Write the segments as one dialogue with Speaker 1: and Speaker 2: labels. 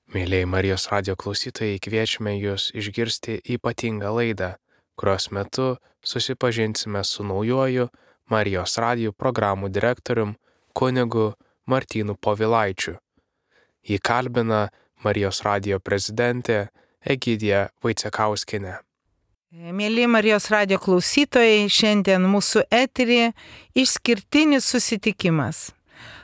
Speaker 1: Mėlyjei Marijos radio klausytojai, kviečiame Jūs išgirsti ypatingą laidą, kurios metu susipažinsime su naujoju Marijos radio programų direktorium kunigu Martynu Povilaičiu. Jį kalbina Marijos radio prezidentė Egidija Vaicekauskienė.
Speaker 2: Mėly Marijos radio klausytojai, šiandien mūsų eteryje išskirtinis susitikimas.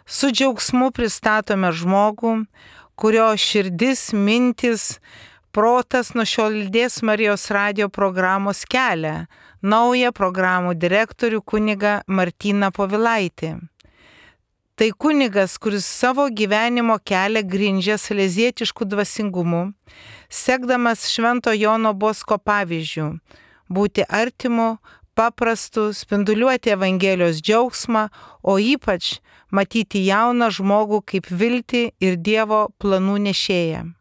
Speaker 2: Su džiaugsmu pristatome žmogų, kurio širdis, mintis, protas nuo šiol lydės Marijos radio programos kelią, naują programų direktorių kunigą Martyną Povilaitį. Tai kunigas, kuris savo gyvenimo kelią grindžia salezietišku dvasingumu, sekdamas Švento Jono Bosko pavyzdžių, būti artimu, paprastu, spinduliuoti Evangelijos džiaugsmą, o ypač matyti jauną žmogų kaip viltį ir Dievo planų nešėją.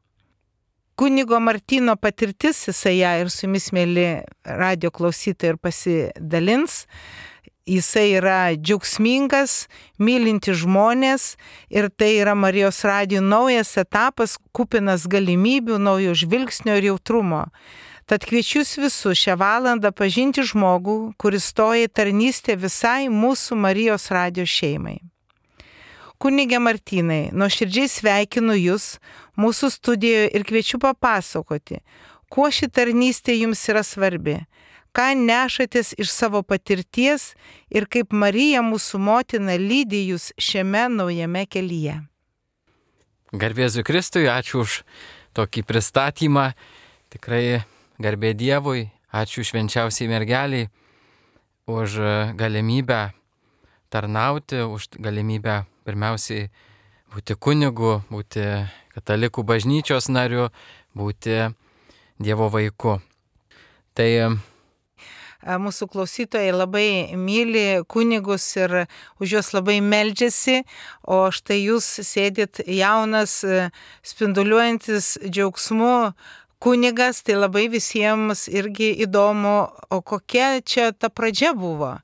Speaker 2: Kunigo Martyno patirtis, jisai ją ir su jumis, mėly radio klausytojai, ir pasidalins. Jisai yra džiaugsmingas, mylintis žmonės ir tai yra Marijos radijo naujas etapas, kupinas galimybių, naujo žvilgsnio ir jautrumo. Tad kviečiu jūs visus šią valandą pažinti žmogų, kuris stoja į tarnystę visai mūsų Marijos radijo šeimai. Kunige Martynai, nuoširdžiai sveikinu jūs mūsų studijoje ir kviečiu papasakoti, kuo ši tarnystė jums yra svarbi, ką nešatės iš savo patirties ir kaip Marija mūsų motina lydi jūs šiame naujame kelyje.
Speaker 3: Garbė Jėzui Kristui, ačiū už tokį pristatymą. Tikrai garbė Dievui, ačiū švenčiausiai mergeliai už galimybę tarnauti, už galimybę pirmiausiai būti kunigu, būti katalikų bažnyčios nariu, būti Dievo vaiku. Tai
Speaker 2: mūsų klausytojai labai myli kunigus ir už juos labai meldžiasi, o štai jūs sėdit jaunas, spinduliuojantis džiaugsmu kunigas, tai labai visiems irgi įdomu, o kokia čia ta pradžia buvo?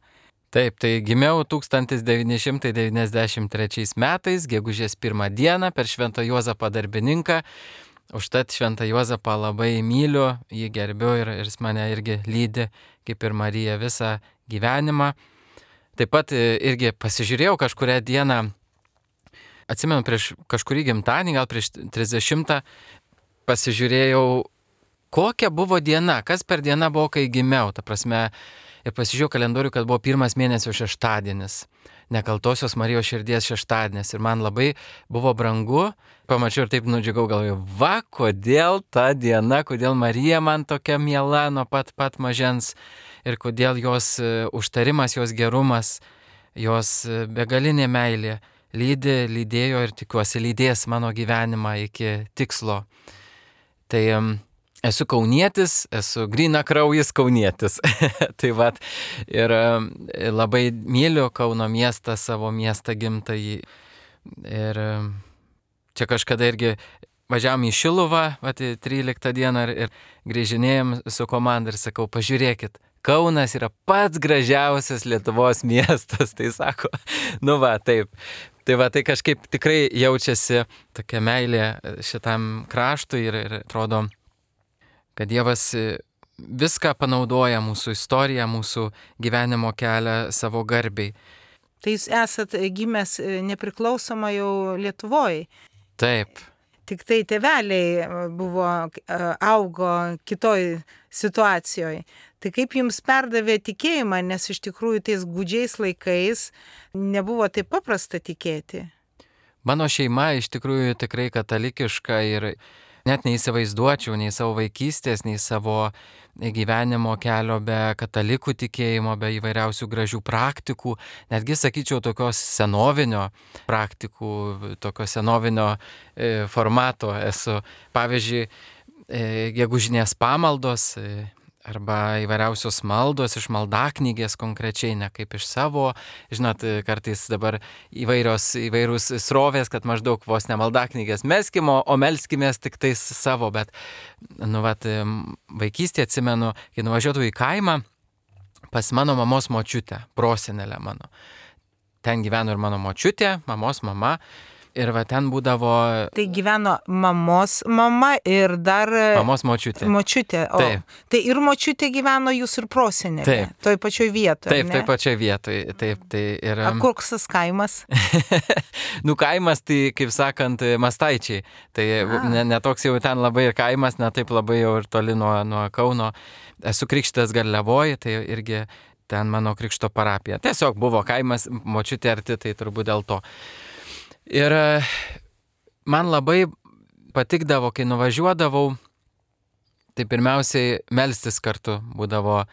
Speaker 3: Taip, tai gimiau 1993 metais, gegužės 1 dieną per Švento Juozapą darbininką. Užtat Šventą Juozapą labai myliu, jį gerbiu ir jis mane irgi lydi, kaip ir Marija, visą gyvenimą. Taip pat irgi pasižiūrėjau kažkurią dieną, atsimenu prieš kažkurį gimtadienį, gal prieš 30, pasižiūrėjau, kokia buvo diena, kas per dieną buvo, kai gimiau. Ta prasme, ir pasižiūrėjau kalendorių, kad buvo 1 mėnesio šeštadienis. Nekaltosios Marijos širdies šeštadienis ir man labai buvo brangu, pamačiau ir taip nudžiugau, galvoju, va, kodėl ta diena, kodėl Marija man tokia miela nuo pat mažens ir kodėl jos užtarimas, jos gerumas, jos begalinė meilė lydėjo ir tikiuosi lydės mano gyvenimą iki tikslo. Tai esu kaunietis, esu grynakraujis kaunietis. Tai vat, ir labai myliu Kauno miestą, savo miestą gimtąjį. Ir čia kažkada irgi važiavom į Šiluvą, vat, 13 dieną ir grįžinėjom su komanda ir sakau, pažiūrėkit, Kaunas yra pats gražiausias Lietuvos miestas. Tai sako, nu va, taip. Tai va, tai kažkaip tikrai jaučiasi tokia meilė šitam kraštui ir atrodo, kad Dievas viską panaudoja, mūsų istoriją, mūsų gyvenimo kelią savo garbiai.
Speaker 2: Tai jūs esat gimęs nepriklausomai jau Lietuvoje.
Speaker 3: Taip.
Speaker 2: Tik tai tėveliai augo kitoj situacijoje. Tai kaip jums perdavė tikėjimą, nes iš tikrųjų tais gūdžiais laikais nebuvo taip paprasta tikėti?
Speaker 3: Mano šeima iš tikrųjų tikrai katalikiška ir net neįsivaizduočiau nei savo vaikystės, nei savo gyvenimo kelio be katalikų tikėjimo, be įvairiausių gražių praktikų, netgi sakyčiau tokios senovinio praktikų, tokio senovinio formato esu. Pavyzdžiui, gegužinės pamaldos arba įvairiausios maldos iš maldaknygės konkrečiai, ne kaip iš savo. Žinot, kartais dabar įvairūs srovės, kad maždaug vos ne maldaknygės meskim, o melskimės tik tais savo. Bet, vaikystėje atsimenu, kai nuvažiuodavau į kaimą pas mano mamos močiutę, prosenelę mano. Ten gyveno ir mano močiutė, mamos mama. Ir va ten būdavo
Speaker 2: Tai gyveno mamos mama ir dar
Speaker 3: mamos močiutė.
Speaker 2: Močiutė. O,
Speaker 3: Taip.
Speaker 2: tai ir močiutė gyveno jūsų ir prosenelė.
Speaker 3: Taip.
Speaker 2: Toj pačioj vietoje.
Speaker 3: Taip, toj pačioj vietoje. Taip, tai ir...
Speaker 2: A koks tas kaimas?
Speaker 3: Nu, kaimas, tai, kaip sakant, Mastaičiai. Tai netoks jau ten labai ir kaimas, ne taip labai jau ir toli nuo Kauno. Esu krikštytas Garliavoje, tai irgi ten mano krikšto parapija. Tiesiog buvo kaimas, močiutė arti, tai turbūt dėl to. Ir man labai patikdavo, kai nuvažiuodavau, tai pirmiausiai melstis kartu būdavo.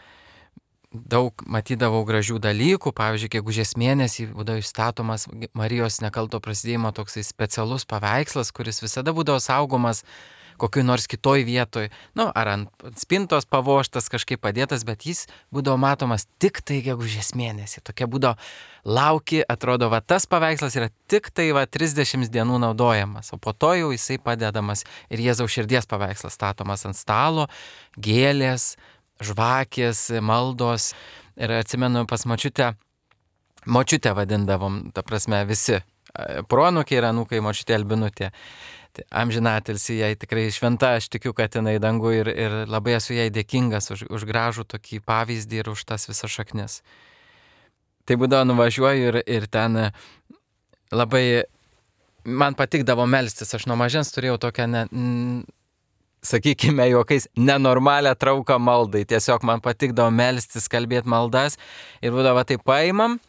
Speaker 3: Daug matydavau gražių dalykų, pavyzdžiui, gegužės mėnesį būdavo išstatomas Marijos nekalto prasidėjimo toksai specialus paveikslas, kuris visada būdavo saugomas kokioj nors kitoj vietoj, nu, ar ant spintos pavoštas, kažkaip padėtas, bet jis būdavo matomas tik tai gegužės mėnesį. Tokia būdavo lauki, atrodo, va tas paveikslas yra tik tai va 30 dienų naudojamas, o po to jau jisai padedamas ir Jėzaus širdies paveikslas statomas ant stalo, gėlės, žvakės, maldos. Ir atsimenu pas močiutę vadindavom, ta prasme visi, proanūkiai ir anūkai, močiutė Albinutė. Amžinatilsį jai tikrai šventa, aš tikiu, kad jinai dangų ir labai esu jai dėkingas už gražų tokį pavyzdį ir už tas visas šaknis. Tai būdavo nuvažiuoju ir ten labai, man patikdavo melstis, aš nuo mažens turėjau tokią, sakykime, juokais, nenormalią trauką maldai, tiesiog man patikdavo melstis, kalbėti maldas ir būdavo tai paimam,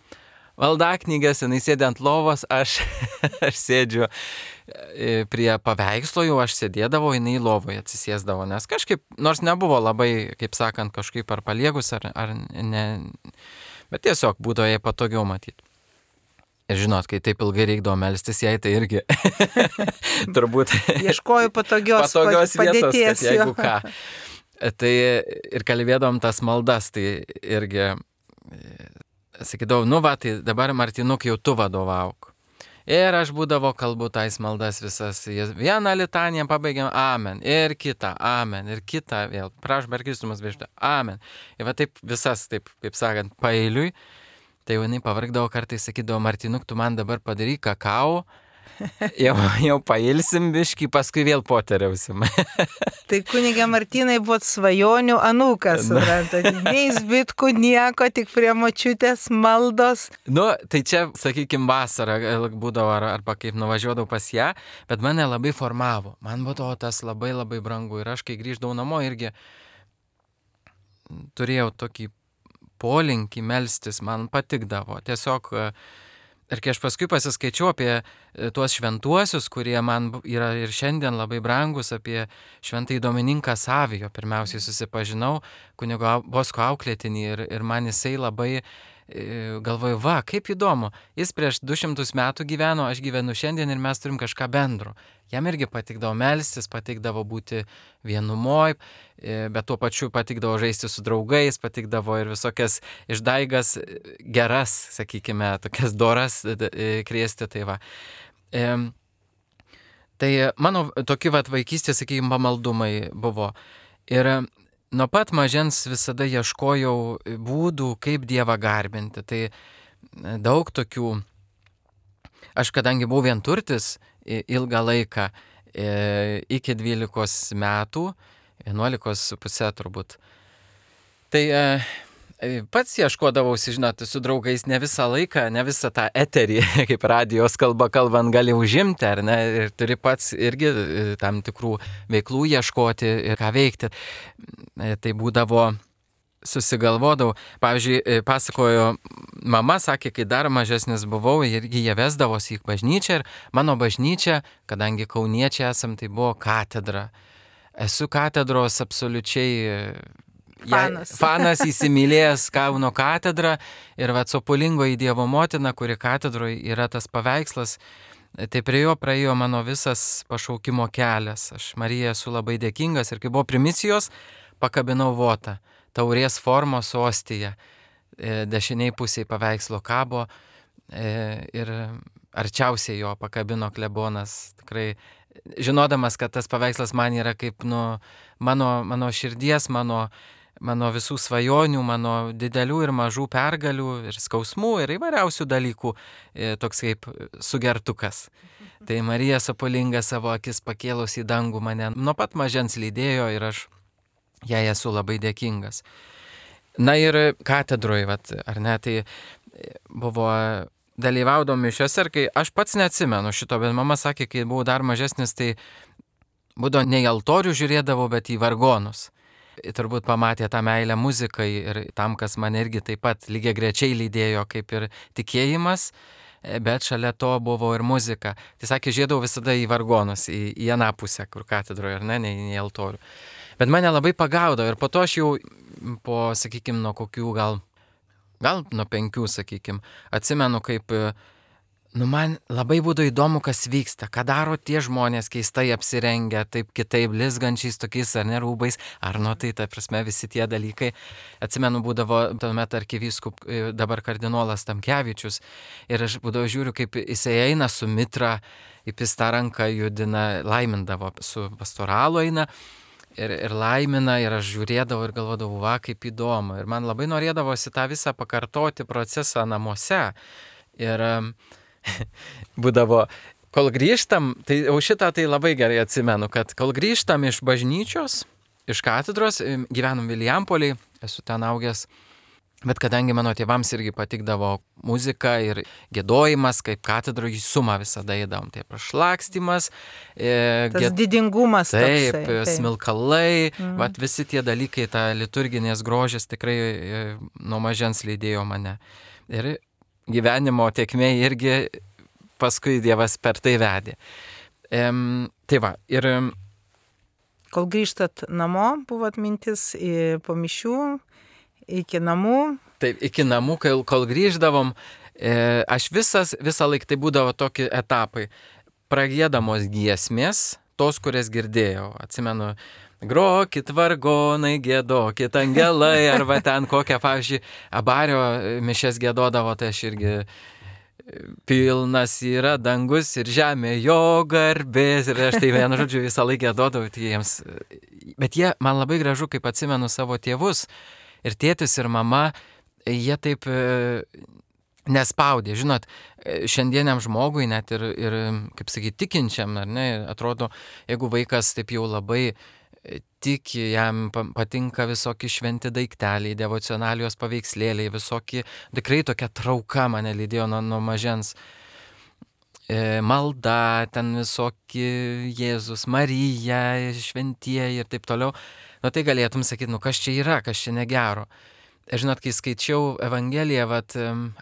Speaker 3: maldaknygas, jinai sėdi ant lovos, aš sėdžiu prie paveikslo, jau aš sėdėdavau, jinai lovoje atsisėsdavo, nes kažkaip, nors nebuvo labai, kaip sakant, kažkaip ar paliegus, ar ne, bet tiesiog būdavo jai patogiau matyti. Ir žinot, kai taip ilgai reikdavo melstis jai, tai irgi turbūt
Speaker 2: ieškoju patogios
Speaker 3: vietos,
Speaker 2: padėties,
Speaker 3: kad jeigu ką. Tai ir kalbėdavom tas maldas, tai irgi sakydavau, nu va, tai dabar Martinuk jau tu vadovauk. Ir aš būdavo kalbu tais maldas visas. Vieną litaniją pabaigiam, amen. Ir kitą, amen. Ir kitą vėl. Prašom per Kristumas viešpatį, amen. Ir va taip visas, taip, kaip sakant, paeiliui. Tai jinai pavargdavo kartais, sakydavo, Martinuk, tu man dabar padaryk kakao. Jau pailsim biškį, paskui vėl poteriausim.
Speaker 2: Tai kunigė Martynai buvo svajonių anūkas, suprantat, nei zbitkų nieko, tik prie močiutės maldos.
Speaker 3: Nu, tai čia, sakykime, vasarą būdavo arba kaip nuvažiuodavau pas ją, bet mane labai formavo. Man buvo tas labai labai brangu ir aš, kai grįždavau namo, irgi turėjau tokį polinkį melstis, man patikdavo. Tiesiog... Ir kai aš paskui pasiskaičiau apie tuos šventuosius, kurie man yra ir šiandien labai brangus, apie šventąjį Domininką Savijo, pirmiausiai susipažinau, kunigo Bosko auklėtinį ir man jisai labai galvoju, va, kaip įdomu, jis prieš 200 metų gyveno, aš gyvenu šiandien ir mes turim kažką bendro. Jam irgi patikdavo melstis, patikdavo būti vienumoj, bet tuo pačiu patikdavo žaisti su draugais, patikdavo ir visokias išdaigas geras, sakykime, tokias doras krėsti, tai va. Tai mano tokie vaikystės, sakykime, pamaldumai buvo. Ir nuo pat mažens visada ieškojau būdų, kaip Dievą garbinti. Tai daug tokių, aš kadangi buvau vienturtis ilgą laiką, iki 12 metų, 11,5 turbūt. Tai pats ieškodavausi, žinot, su draugais ne visą laiką, ne visą tą eterį, kaip radijos kalba kalbant, gali užimti, ar ne, ir turi pats irgi tam tikrų veiklų ieškoti ir ką veikti. Tai būdavo, susigalvodavau, pavyzdžiui, pasakojo, mama sakė, kai dar mažesnis buvau, irgi jie vesdavosi į bažnyčią ir mano bažnyčia, kadangi kauniečiai esam, tai buvo katedra. Esu katedros absoliučiai fanas įsimylėjęs Kauno katedrą ir Sopulingoji Dievo motina, kuri katedroje yra tas paveikslas, tai prie jo praėjo mano visas pašaukimo kelias. Aš Marijai esu labai dėkingas ir kai buvo primicijos, pakabinau votą, taurės formos ostiją, dešiniai pusiai paveikslo kabo ir arčiausiai jo pakabino klebonas, tikrai žinodamas, kad tas paveikslas man yra kaip mano širdies, mano visų svajonių, mano didelių ir mažų pergalių ir skausmų ir įvairiausių dalykų, toks kaip sugertukas. Tai Marija Sopolinga savo akis pakėlus į dangų mane nuo pat mažens lydėjo ir aš jai esu labai dėkingas. Na ir katedroje, ar ne, tai buvo dalyvaudom mišiose ir kai aš pats neatsimenu šito, bet mama sakė, kai buvau dar mažesnis, tai būdavo ne į altorių žiūrėdavau, bet į vargonus. Turbūt pamatė tą meilę muzikai ir tam, kas mane irgi taip pat lygiai grečiai lydėjo kaip ir tikėjimas, bet šalia to buvo ir muzika. Tai sakė, žiūrėdavau visada į vargonus, į aną pusę, kur katedroje, ar ne į altorių. Bet mane labai pagaudavo ir po to aš jau po, sakykime, nuo kokių gal nuo 5, sakykime, atsimenu, kaip, man labai būdavo įdomu, kas vyksta, ką daro tie žmonės keistai apsirengę, taip kitaip, blizgančiais tokiais ar ne rūbais, ar tai, ta prasme, visi tie dalykai. Atsimenu, būdavo tuomet arkivyskup, dabar kardinolas Tamkevičius, ir aš būdavo žiūriu, kaip jisai eina su mitra, kaip jis tą ranką judina, laimindavo, su pastoralu eina, ir laimina, ir aš žiūrėdavau ir galvodavau, va, kaip įdomu. Ir man labai norėdavosi tą visą pakartoti procesą namuose. Ir būdavo, kol grįžtam, tai jau šitą tai labai gerai atsimenu, kad kol grįžtam iš bažnyčios, iš katedros, gyvenom Vilijampoliai, esu ten augęs, bet kadangi mano tėvams irgi patikdavo muzika ir giedojimas, kaip katedroje į sumą visada įdavom. Tai prašlakstymas,
Speaker 2: tas didingumas.
Speaker 3: Taip, smilkalai, visi tie dalykai, ta liturginės grožis tikrai nuo mažens lydėjo mane. Ir gyvenimo tėkmė irgi paskui Dievas per tai vedė. Tai va, ir...
Speaker 2: Kol grįžtat namo, buvot mintis po mišių, iki namų.
Speaker 3: Taip, iki namų, kol grįždavom, aš visą laiką tai būdavo tokie etapai. Pragiedamos giesmės, tos, kurias girdėjau. Atsimenu, grokit vargonai, giedokit angelai, arba ten kokią, pavyzdžiui, Abario mišes giedodavo, tai aš irgi pilnas yra dangus ir žemė jo garbės. Ir aš tai vienu žodžiu visą laiką giedodavau jiems. Bet jie, man labai gražu, kaip atsimenu savo tėvus, ir tėtis, ir mama, jie taip nespaudė. Žinot, šiandieniam žmogui, net ir kaip sakyti, tikinčiam, ar ne, atrodo, jeigu vaikas taip jau labai tiki, jam patinka visokie šventi daikteliai, devocionalijos paveikslėliai, visokie, tikrai tokia trauka mane lydėjo nuo mažens. Malda, ten visokie Jėzus, Marija, šventieji ir taip toliau. Tai galėtum sakyti, kas čia yra, kas čia negero. Žinot, kai skaičiau Evangeliją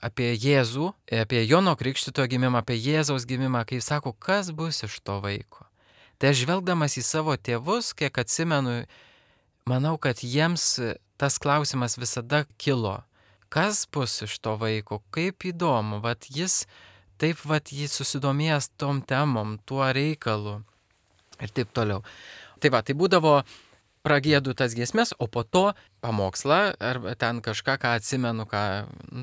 Speaker 3: apie Jėzų, apie Jono Krikštytojo gimimą, apie Jėzaus gimimą, kai sako, kas bus iš to vaiko. Tai aš žvelgdamas į savo tėvus, kiek atsimenu, manau, kad jiems tas klausimas visada kilo. Kas bus iš to vaiko, kaip įdomu, jis taip jis susidomėjęs tom temom, tuo reikalu ir taip toliau. Tai būdavo pragiedu tas giesmės, o po to pamokslą, arba ten kažką, ką atsimenu,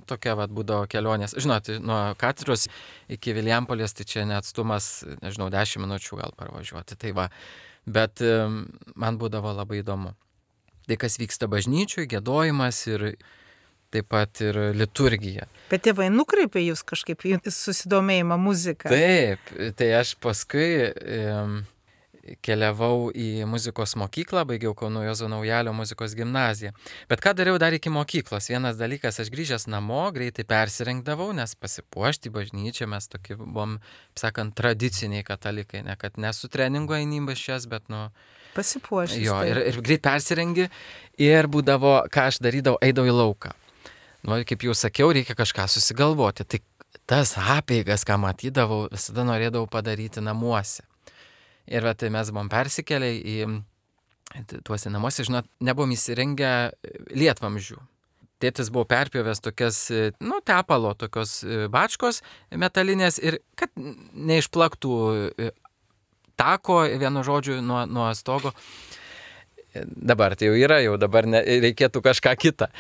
Speaker 3: tokia būdavo kelionės. Žinot, nuo katedros iki Vilijampolės, tai čia neatstumas, 10 minučių gal parvažiuoti. Tai bet man būdavo labai įdomu. Tai kas vyksta bažnyčiui, giedojimas ir taip pat ir liturgija.
Speaker 2: Bet tėvai nukreipė jūs kažkaip į susidomėjimą muziką.
Speaker 3: Taip, tai aš paskui keliavau į muzikos mokyklą, baigiau Kauno Juozo Naujalio muzikos gimnaziją. Bet ką dariau dar iki mokyklos? Vienas dalykas, aš grįžęs namo, greitai persirengdavau, nes pasipuošti bažnyčią mes tokie buvom, sakant, tradiciniai katalikai, ne kad nesu treningo eini bažnyčias, bet
Speaker 2: pasipuošti.
Speaker 3: Jo, ir greit persirengi ir būdavo, ką aš darydavau, eidavau į lauką. Kaip jau sakiau, reikia kažką susigalvoti. Tai tas apeigas, ką matydavau, visada norėdavau padaryti namuose. Ir tai mes buvom persikėlę į tuose namuose, žinot, nebuvom įsirengę lietvamzdžių. Tėtis buvo perpjovęs tokias, tepalo, tokios bačkos metalinės ir kad neišplaktų tako, vienu žodžiu, nuo stogo. Dabar tai jau yra, dabar reikėtų kažką kitą.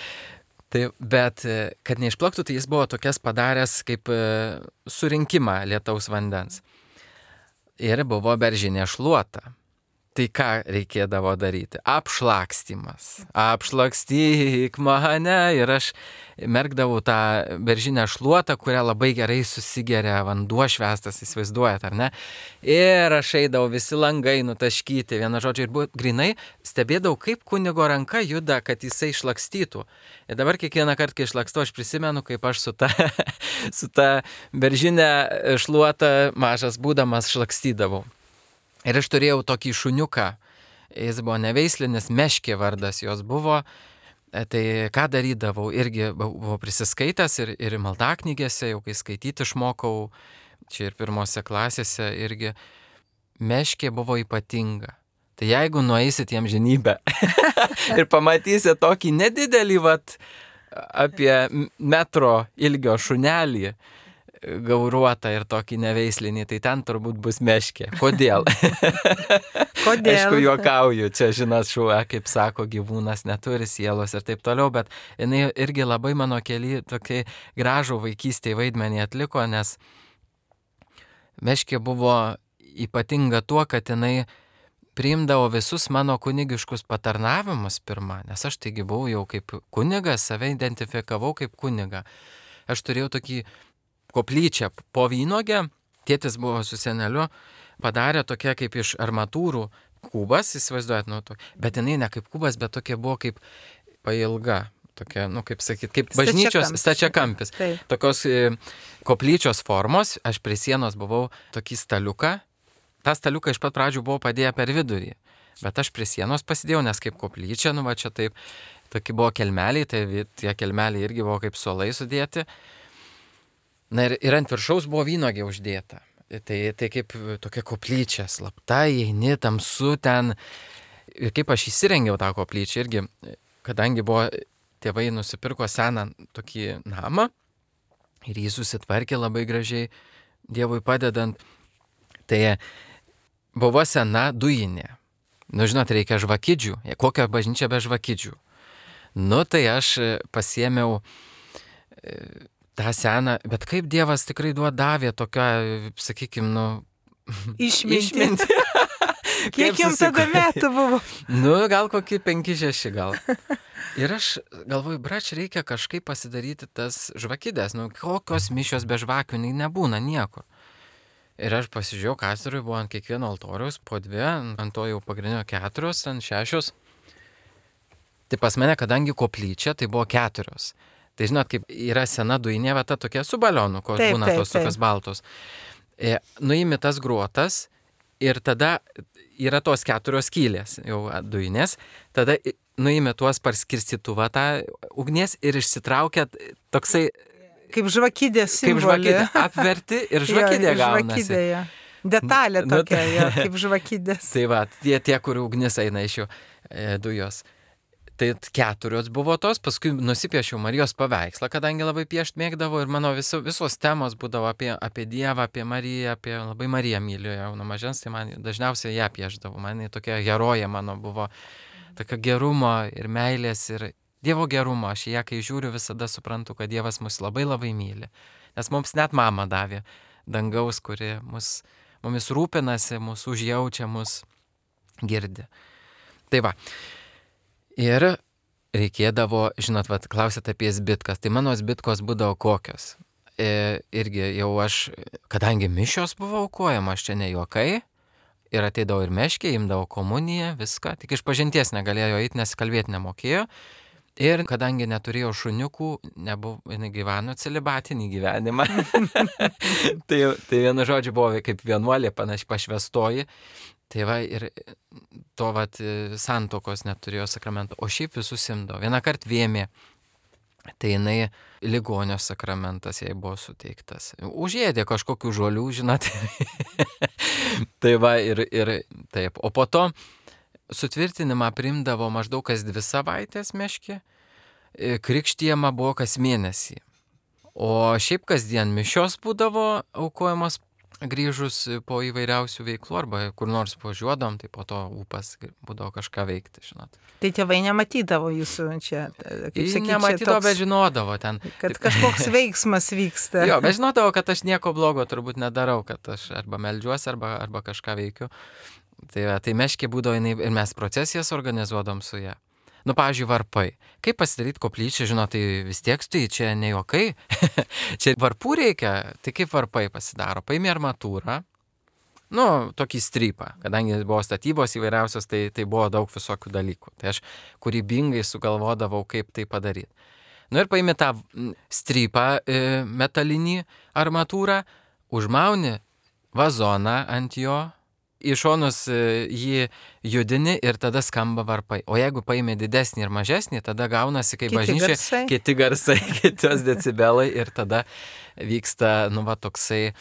Speaker 3: Bet kad neišplaktų, tai jis buvo tokias padaręs kaip surinkimą lietaus vandens. Ir buvo beržinė šluota. Tai ką reikėdavo daryti? Apšlakstymas. Apšlakstyk mane. Ir aš merkdavau tą beržinę šluotą, kurią labai gerai susigeria vanduo švestas, įsivaizduojat, ar ne? Ir aš eidavau visi langai nutaškyti, viena žodžia, ir buvo grinai, stebėdavau, kaip kunigo ranka juda, kad jisai šlakstytų. Ir dabar kiekvieną kartą, kai šlakstu, aš prisimenu, kaip aš su ta beržinė šluota mažas būdamas šlakstydavau. Ir aš turėjau tokį šuniuką, jis buvo neveislinis, Meškė vardas jos buvo, tai ką darydavau, irgi buvau prisiskaitęs ir maldaknygėse, jau kai skaityti išmokau, čia ir pirmose klasėse irgi, Meškė buvo ypatinga. Tai jeigu nueisit į amžinybę ir pamatysit tokį nedidelį, apie metro ilgio šunelį, gauruotą ir tokį neveislinį, tai ten turbūt bus Meškė. Kodėl?
Speaker 2: Kodėl?
Speaker 3: Aišku, juokauju, čia žinot, šuo, kaip sako, gyvūnas neturi sielos ir taip toliau, bet jinai irgi labai mano keli tokį gražų vaikystėje vaidmenį atliko, nes Meškė buvo ypatinga tuo, kad jinai priimdavo visus mano kunigiškus patarnavimus pirmą, nes aš taigi buvau jau kaip kunigas, save identifikavau kaip kunigą. Aš turėjau tokį koplyčią po vynogę, tėtis buvo su seneliu, padarė tokia kaip iš armatūrų kubas, įsivaizduojat, bet jinai ne kaip kubas, bet tokia buvo kaip pailga, tokia, kaip sakyt, kaip bažnyčios stačiakampis. Tokios koplyčios formos, aš prie sienos buvau tokį staliuką, tą staliuką iš pat pradžių buvau padėję per vidurį, bet aš prie sienos pasidėjau, nes kaip koplyčia, čia taip, tokie buvo kelmeliai, tai tie kelmeliai irgi buvo kaip suolai sudėti. Na ir ant viršaus buvo vynogė uždėta. Tai kaip tokia koplyčia, slapta, eini tamsu ten. Ir kaip aš įsirengiau tą koplyčią irgi, kadangi buvo tėvai nusipirko seną tokį namą ir jį susitvarkė labai gražiai, Dievui padedant, tai buvo sena dujinė. Žinot, reikia žvakidžių. Kokią bažnyčią be žvakidžių? Tai aš pasiėmiau tą seną, bet kaip Dievas tikrai davė tokią, sakykime,
Speaker 2: išmintį. Kiek jums tada metų buvo?
Speaker 3: Gal kokį 5-6 gal. Ir aš galvoju, brač, reikia kažkaip pasidaryti tas žvakidės. Kokios mišios be žvakių nebūna niekur. Ir aš pasižiūrėjau, kastoriui buvo ant kiekvieno altoriaus po 2, ant to jau pagrindinio 4, ant 6. Tai pas mane, kadangi koplyčia, tai buvo 4. Tai žinot, kaip yra sena dujinė vieta tokia su balionu, kol būna tos tokios baltos. Nuimi tas gruotas ir tada yra tos 4 skylės, jau dujinės, tada nuimi tuos parskirstytuvą tą ugnies ir išsitraukia toksai...
Speaker 2: Kaip žvakidės simbolį.
Speaker 3: Kaip žvakidė, apverti ir žvakidė gaunasi.
Speaker 2: Žvakidė, detalė tokia, kaip žvakidės.
Speaker 3: Tai tie, kur ugnis eina iš jų dujos. Tai 4 buvo tos, paskui nusipiešiau Marijos paveikslą, kadangi labai piešt mėgdavau ir mano visos temos būdavo apie Dievą, apie Mariją, labai Mariją myliu jau nuo mažens, tai man dažniausiai ją pieždavau, man tokia herojė mano buvo, tokia gerumo ir meilės ir Dievo gerumo, aš ją kai žiūriu visada suprantu, kad Dievas mus labai labai myli, nes mums net mama davė dangaus, kuri mumis rūpinasi, mus užjaučia, mus girdi. Tai va. Ir reikėdavo, žinot, klausėt apie zbitkas, tai mano zbitkos būdavo kokios. Irgi jau aš, kadangi mišios buvo aukojama, aš čia ne juokai, ir ateidavo ir Meškė, imdavo komuniją, viską, tik iš pažinties negalėjo eiti, nes kalbėti nemokėjo. Ir kadangi neturėjau šuniukų, jinai gyveno celibatinį gyvenimą, tai vienu žodžiu buvo kaip vienuolė, panašiai pašvestoji. Tai va, ir to santokos neturėjo sakramento, o šiaip visus imdavo. Vieną kartą vėmė, tai jinai ligonio sakramentas jai buvo suteiktas. Užėdė kažkokių žolių, žinot. Tai va, ir taip. O po to sutvirtinimą priimdavo maždaug kas 2 savaitės Meškė, krikštijama buvo kas mėnesį. O šiaip kasdien mišios būdavo aukojamos grįžus po įvairiausių veiklų arba kur nors važiuodom, tai po to ūpas būdavo kažką veikti, žinot.
Speaker 2: Tai tėvai nematydavo jūsų čia, kaip sakyti,
Speaker 3: nematydavo, bet žinodavo ten.
Speaker 2: Kad kažkoks veiksmas vyksta.
Speaker 3: Jo, bet žinodavo, kad aš nieko blogo turbūt nedarau, kad aš arba meldžiuosi, arba kažką veikiu. Tai meškė būdavo jinai ir mes procesijas organizuodom su ją. Nu, pavyzdžiui, varpai. Kaip pasidaryti koplyčią, žinot, tai vis tiek tai čia ne juokai. Čia varpų reikia, tai kaip varpai pasidaro. Paimi armatūrą, nu, tokį strypą. Kadangi buvo statybos įvairiausios, tai buvo daug visokių dalykų. Tai aš kūrybingai sugalvodavau, kaip tai padaryti. Nu ir paimi tą strypą metalinį armatūrą, užmauni vazoną ant jo, į šonus jį judini ir tada skamba varpai. O jeigu paimi didesnį ir mažesnį, tada gaunasi kaip bažnyčia, kiti garsai, kitos decibelai ir tada vyksta, nu va, toksai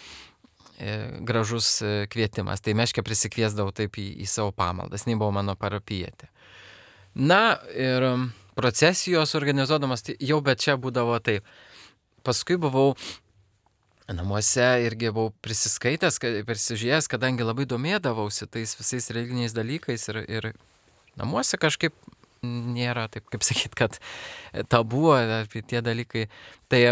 Speaker 3: gražus kvietimas. Tai meškę prisikviesdavau taip į savo pamaldas, nei buvo mano parapijietė. Na ir procesijos organizuodamas, tai jau bet čia būdavo taip. Paskui buvau namuose irgi buvau prisiskaitęs, persižiūrėjęs, kadangi labai domėdavausi tais visais religiniais dalykais ir namuose kažkaip nėra, taip kaip sakyt, kad tabu apie tie dalykai. Tai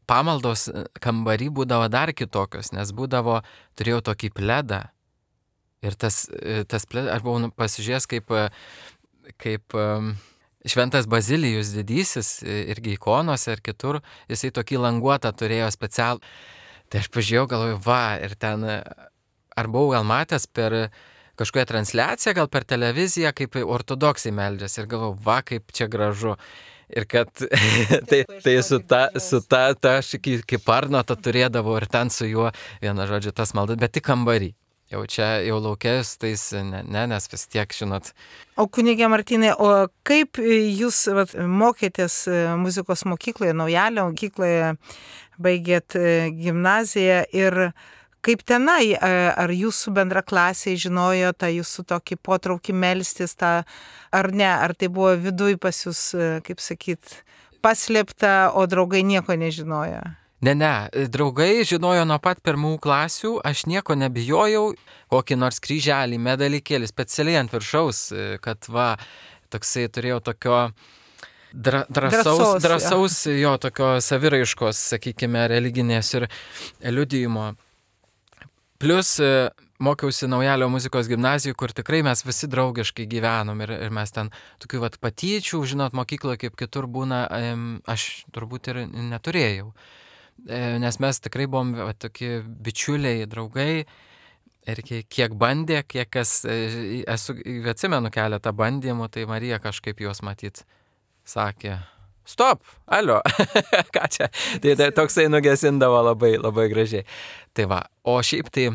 Speaker 3: pamaldos kambarį būdavo dar kitokios, nes turėjau tokį pledą ir tas pledas, aš buvau pasižiūrėjęs kaip Šventas Bazilijus didysis, irgi ikonose ir kitur, jisai tokį languotą turėjo specialų. Tai aš pažiūrėjau, galvoju, va, ir ten, ar buvau gal matęs per kažkokią transliaciją, gal per televiziją, kaip ortodoksai meldžiasi, ir galvoju, va, kaip čia gražu. Ir kad tai su ta aš kaip arnotą turėdavau ir ten su juo, viena žodžiu, tas maldas, bet tik kambarį. Jau čia, jau laukės, tais ne, nes vis tiek, žinot.
Speaker 2: O kunigė Martynai, o kaip jūs mokėtės muzikos mokykloje, Naujalio mokykloje, baigėt gimnaziją ir kaip tenai, ar jūsų bendraklasiai žinojo tą jūsų tokį potraukį melstis, ar ne, ar tai buvo viduj pas jūs, kaip sakyt, paslėpta, o draugai nieko nežinojo?
Speaker 3: Ne, draugai žinojo nuo pat pirmų klasių, aš nieko nebijojau, kokį nors kryželį, medalikėlį, specialiai ant viršaus, kad va, toksai turėjau tokio drąsaus jo, tokio saviraiškos, sakykime, religinės ir liudijimo. Plus mokiausi Naujalio muzikos gimnazijoje, kur tikrai mes visi draugiškai gyvenom ir mes ten tokių vat patyčių, žinot, mokykloje kaip kitur būna, aš turbūt ir neturėjau. Nes mes tikrai buvom tokie bičiuliai, draugai ir kiek bandė, kiek kas, atsimenu keletą bandymų, tai Marija kažkaip juos matyt sakė, stop, alio, ką čia, tai toksai nugesindavo labai, labai gražiai. Tai va, o šiaip tai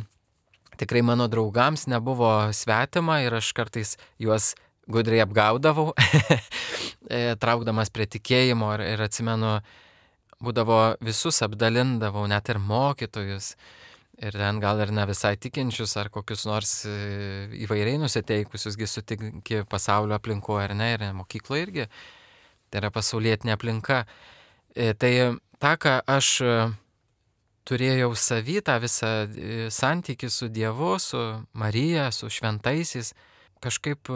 Speaker 3: tikrai mano draugams nebuvo svetima ir aš kartais juos gudriai apgaudavau, traukdamas prie tikėjimo ir atsimenu, būdavo visus apdalindavau, net ir mokytojus, ir ten gal ir ne visai tikinčius, ar kokius nors įvairiai nusiteikusiusgi sutinki pasaulio aplinkoje, ar ne, ir mokykloje irgi, tai yra pasaulietinė aplinka. Tai tą, ką aš turėjau savy, tą visą santykį su Dievu, su Marija, su šventaisiais, kažkaip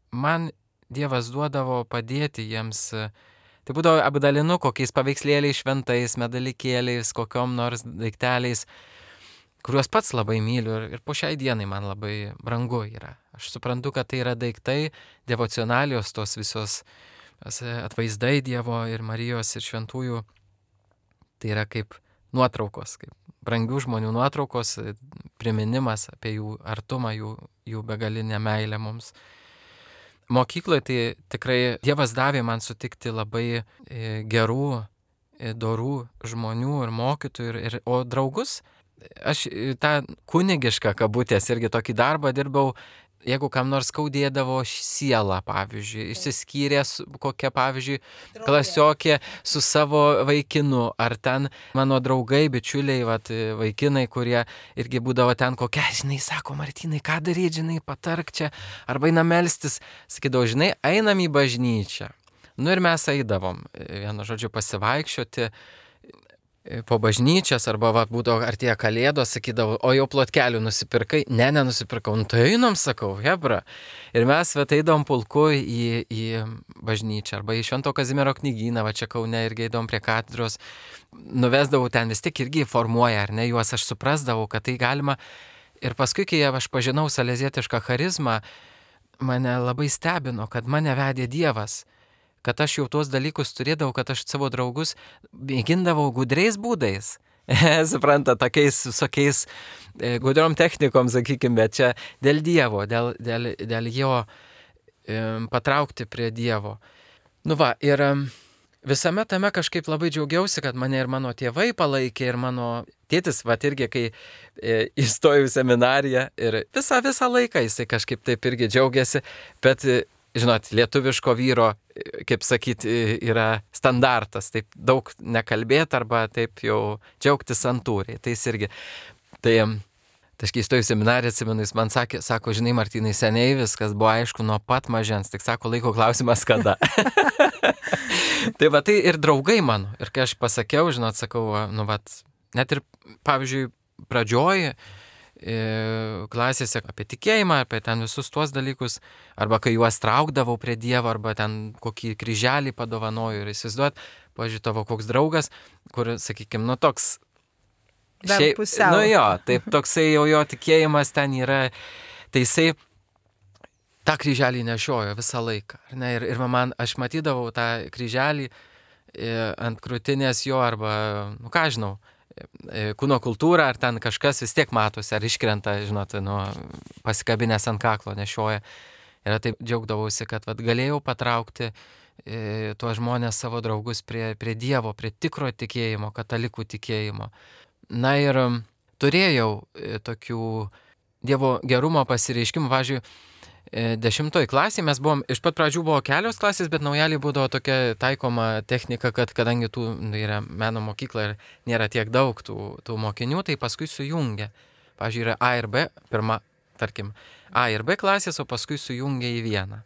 Speaker 3: man Dievas duodavo padėti jiems. Tai būdavo apdalinu kokiais paveikslėliais šventais, medalikėliais, kokiom nors daikteliais, kuriuos pats labai myliu ir po šiai dienai man labai brangu yra. Aš suprantu, kad tai yra daiktai, devocionalijos, tos visos atvaizdai Dievo ir Marijos ir šventųjų. Tai yra kaip nuotraukos, kaip brangių žmonių nuotraukos, priminimas apie jų artumą, jų begalinę meilę mums. Mokykloje tai tikrai Dievas davė man sutikti labai gerų, dorų žmonių ir mokytojų, o draugus, aš tą kunigišką kabutės irgi tokį darbą dirbau, jeigu kam nors skaudėdavo sielą, pavyzdžiui, išsiskyrė kokia, pavyzdžiui, klasiokė su savo vaikinu, ar ten mano draugai, bičiuliai, vaikinai, kurie irgi būdavo ten kokia, žinai, sako, Martynai, ką daryti, žinai, patark čia, arba einam melstis, sakydavo, žinai, einam į bažnyčią. Nu ir mes eidavom, vienu žodžiu, pasivaikščioti po bažnyčias, arba būdavo artėja kalėdos, sakydavo, o jau plotkelių nusipirkai? Ne, nenusipirkau. Nu tai einam, sakau, hebra. Ir mes eidavom pulku į bažnyčią, arba į Švento Kazimiero knygyną, čia Kaune irgi eidavom prie katedros, nuvesdavau ten vis tik irgi formuoja, ar ne, juos aš suprasdavau, kad tai galima Ir paskui, kai aš pažinau salezietišką charizmą, mane labai stebino, kad mane vedė Dievas, kad aš jau tuos dalykus turėdavau, kad aš savo draugus mėgindavau gudriais būdais. Supranta, tokiais visokiais gudriom technikom, sakykime, bet čia dėl Dievo, dėl jo patraukti prie Dievo. Nu va, ir visame tame kažkaip labai džiaugiausi, kad mane ir mano tėvai palaikė, ir mano tėtis, va, irgi, kai įstojau į seminariją, ir visą laiką jisai kažkaip taip irgi džiaugiasi, bet, žinot, lietuviško vyro, kaip sakyti, yra standartas, taip daug nekalbėti arba taip jau džiaugtis santūriai, tai jis irgi. Tai aš kai įstojau į seminariją, atsimenu, jis man sako, žinai, Martynai, seniai viskas buvo aišku nuo pat mažens, tik sako, laiko klausimas kada. Tai va, tai ir draugai mano. Ir kai aš pasakiau, žinot, sakau, nu vat, net ir, pavyzdžiui, pradžioj klasėse apie tikėjimą, apie ten visus tuos dalykus, arba kai juos traukdavau prie Dievo, arba ten kokį kryželį padovanoju ir įsivaizduot, pavyzdžiui, tavo koks draugas, kur, sakykime, nu toks
Speaker 2: dar pusiau.
Speaker 3: Nu jo, taip toksai jau jo tikėjimas ten yra, tai jisai tą kryželį nešiojo visą laiką. Ne? Ir man, aš matydavau tą kryželį ant krūtinės jo, arba, nu ką žinau, kūno kultūra, ar ten kažkas vis tiek matosi, ar iškrenta, žinot, nu, pasikabinės ant kaklo nešioja. Ir taip džiaugdavausi, kad vat, galėjau patraukti tuos žmonės, savo draugus prie Dievo, prie tikro tikėjimo, katalikų tikėjimo. Na ir turėjau tokių Dievo gerumo pasireiškimų. Pavyzdžiui, 10 klasėje mes buvom, iš pat pradžių buvo kelios klasės, bet naujalį būdavo tokia taikoma technika, kad kadangi tų yra meno mokykla ir nėra tiek daug tų mokinių, tai paskui sujungia. Pavyzdžiui, yra A ir B, pirma, tarkim, A ir B klasės, o paskui sujungia į vieną.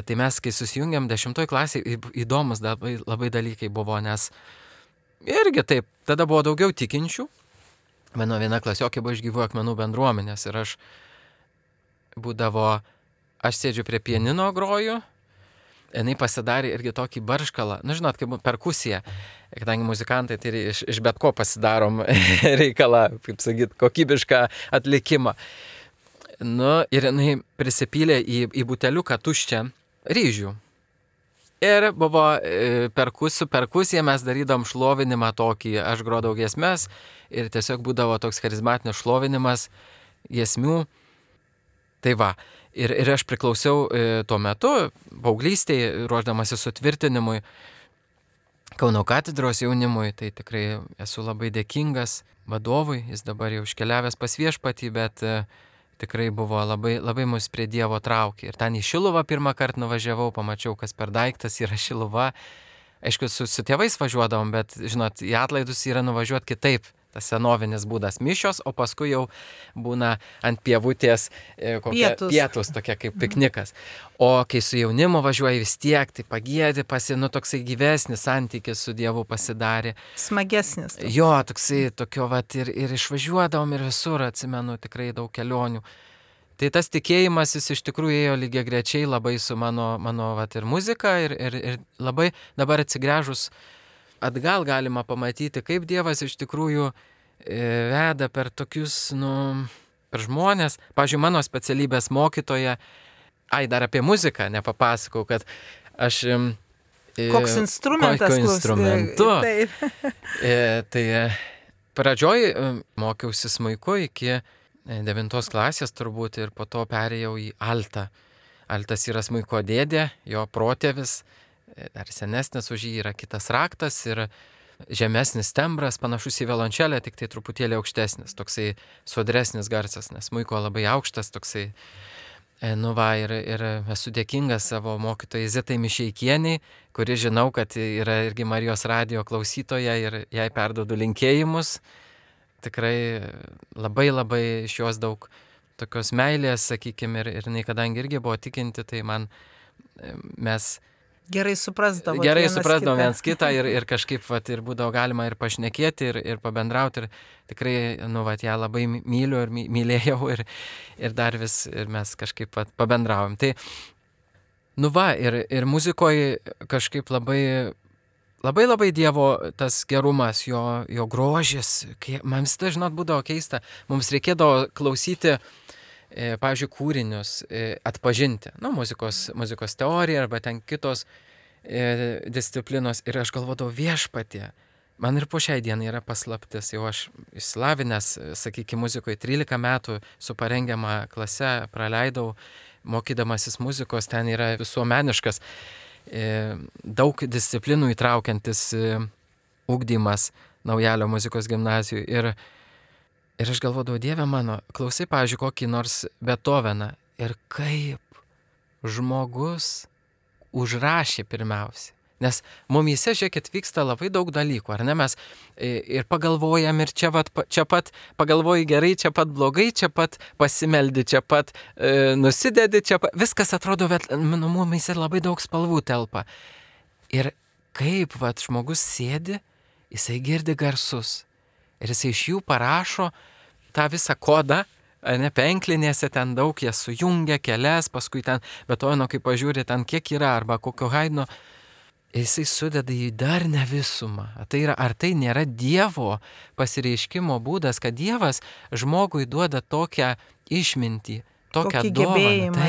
Speaker 3: Tai mes, kai susijungiam 10 klasėje, įdomus labai dalykai buvo, nes irgi taip, tada buvo daugiau tikinčių. Mano viena klasiokė buvo iš Gyvųjų akmenų bendruomenės ir aš sėdžiu prie pianino groju, jinai pasidarė irgi tokį barškalą, nu žinot, kaip perkusija, kadangi muzikantai tai iš bet ko pasidarom reikalą, kaip sakyt, kokybišką atlikimą. Nu ir jinai prisipylė į buteliuką tuščią ryžių. Ir buvo su perkusija mes darydom šlovinimą tokį, aš grodavau giesmes ir tiesiog būdavo toks charizmatinis šlovinimas giesmių. Tai va, ir aš priklausiau tuo metu, paauglystėje, ruošdamasi sutvirtinimui Kauno katedros jaunimui, tai tikrai esu labai dėkingas vadovui, jis dabar jau iškeliavęs pas Viešpatį, bet tikrai buvo labai mus prie Dievo traukė. Ir ten į Šiluvą pirmą kartą nuvažiavau, pamačiau, kas per daiktas yra Šiluva. Aišku, su tėvais važiuodavom, bet, žinot, į atlaidus yra nuvažiuoti kitaip. Tas senovinis būdas mišios, o paskui jau būna ant pievutės pietus, tokia kaip piknikas. O kai su jaunimu važiuoji vis tiek, tai pagėdi, toksai gyvesnis santykis su Dievu pasidarė.
Speaker 2: Smagesnis.
Speaker 3: Jo, toksai tokio vat ir išvažiuodavom ir visur, atsimenu, tikrai daug kelionių. Tai tas tikėjimas jis iš tikrųjų ėjo lygiagrečiai labai su mano vat ir muzika ir labai dabar atsigręžus atgal galima pamatyti, kaip Dievas iš tikrųjų veda per tokius, per žmonės. Pavyzdžiui, mano specialybės mokytoja, dar apie muziką nepapasakau, kad aš...
Speaker 2: Koks instrumentas?
Speaker 3: Kokiu instrumentu.
Speaker 2: Taip.
Speaker 3: Tai pradžioj mokiausi smuiku iki 9 klasės turbūt ir po to perėjau į altą. Altas yra smuiko dėdė, jo protėvis. Dar senesnis už jį yra kitas raktas ir žemesnis tembras, panašus į violončelę, tik tai truputėlį aukštesnis, toksai sodresnis garsas, nes smuiko labai aukštas, toksai, ir esu dėkingas savo mokytojai Zitai Mišeikieniai, kuri žinau, kad yra irgi Marijos radijo klausytoja ir jai perduodu linkėjimus. Tikrai labai iš jos daug tokios meilės, sakykime, ir jinai kadangi irgi buvo tikinti, tai mes
Speaker 2: Gerai suprasdavom
Speaker 3: viens kitą ir kažkaip ir būdavo galima ir pašnekėti ir pabendrauti ir tikrai, ją labai myliu ir mylėjau ir dar vis ir mes kažkaip pabendravom. Tai, ir muzikoje kažkaip labai labai labai Dievo tas gerumas, jo grožis, man visada, žinot, būdavo keista, mums reikėdavo klausyti, pavyzdžiui, kūrinius, atpažinti, muzikos teorija arba ten kitos disciplinos ir aš galvodavau viešpatie. Man ir po šiai dienai yra paslaptis, jau aš išsilavinęs, sakykime, muzikoje 13 metų su parengiama klase praleidau, mokydamasis muzikos, ten yra visuomeniškas, daug disciplinų įtraukiantis ugdymas Naujalio muzikos gimnazijoje. Ir aš galvodavau, Dieve mano, klausai, pavyzdžiui, kokį nors Beethoveną ir kaip žmogus užrašė pirmiausia. Nes mumyse, žiūrėkit, vyksta labai daug dalykų, ar ne? Mes ir pagalvojam, ir čia pat pagalvoji gerai, čia pat blogai, čia pat pasimeldi, čia pat nusidedi, čia pat... Viskas atrodo, bet mumyse labai daug spalvų telpa. Ir kaip žmogus sėdi, jisai girdi garsus. Ir jisai iš jų parašo tą visą kodą, ne, penklinėse ten daug, jie sujungia kelias, paskui ten Beethoveno, kai pažiūri, ten kiek yra, arba kokio Haidno, jisai sudeda į darnią visumą. Ar tai nėra Dievo pasireiškimo būdas, kad Dievas žmogui duoda tokią išmintį, tokią dovaną,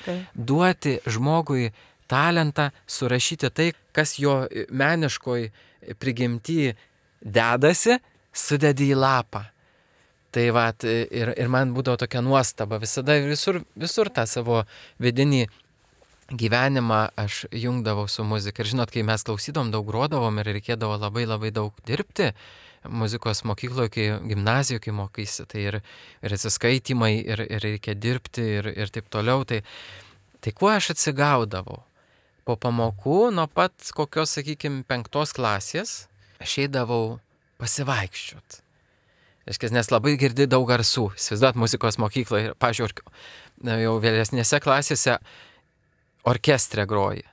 Speaker 3: taip, duoti žmogui talentą, surašyti tai, kas jo meniškoj prigimty dedasi, sudedi į lapą. Tai ir man būdavo tokia nuostaba, visada visur tą savo vidinį gyvenimą aš jungdavau su muzika. Ir žinot, kai mes klausydom, daug grodavom ir reikėdavo labai labai daug dirbti muzikos mokykloje, gimnazijoje, kai mokaisi, tai ir atsiskaitimai, ir reikia dirbti, ir taip toliau. Tai kuo aš atsigaudavau? Po pamokų, nuo pat kokios, sakykime, 5 klasės, aš eidavau pasivaikščiot. Nes labai girdi daug garsų, įsivaizduot muzikos mokykloje, pavyzdžiui, jau vėlesnėse klasėse orkestre groji.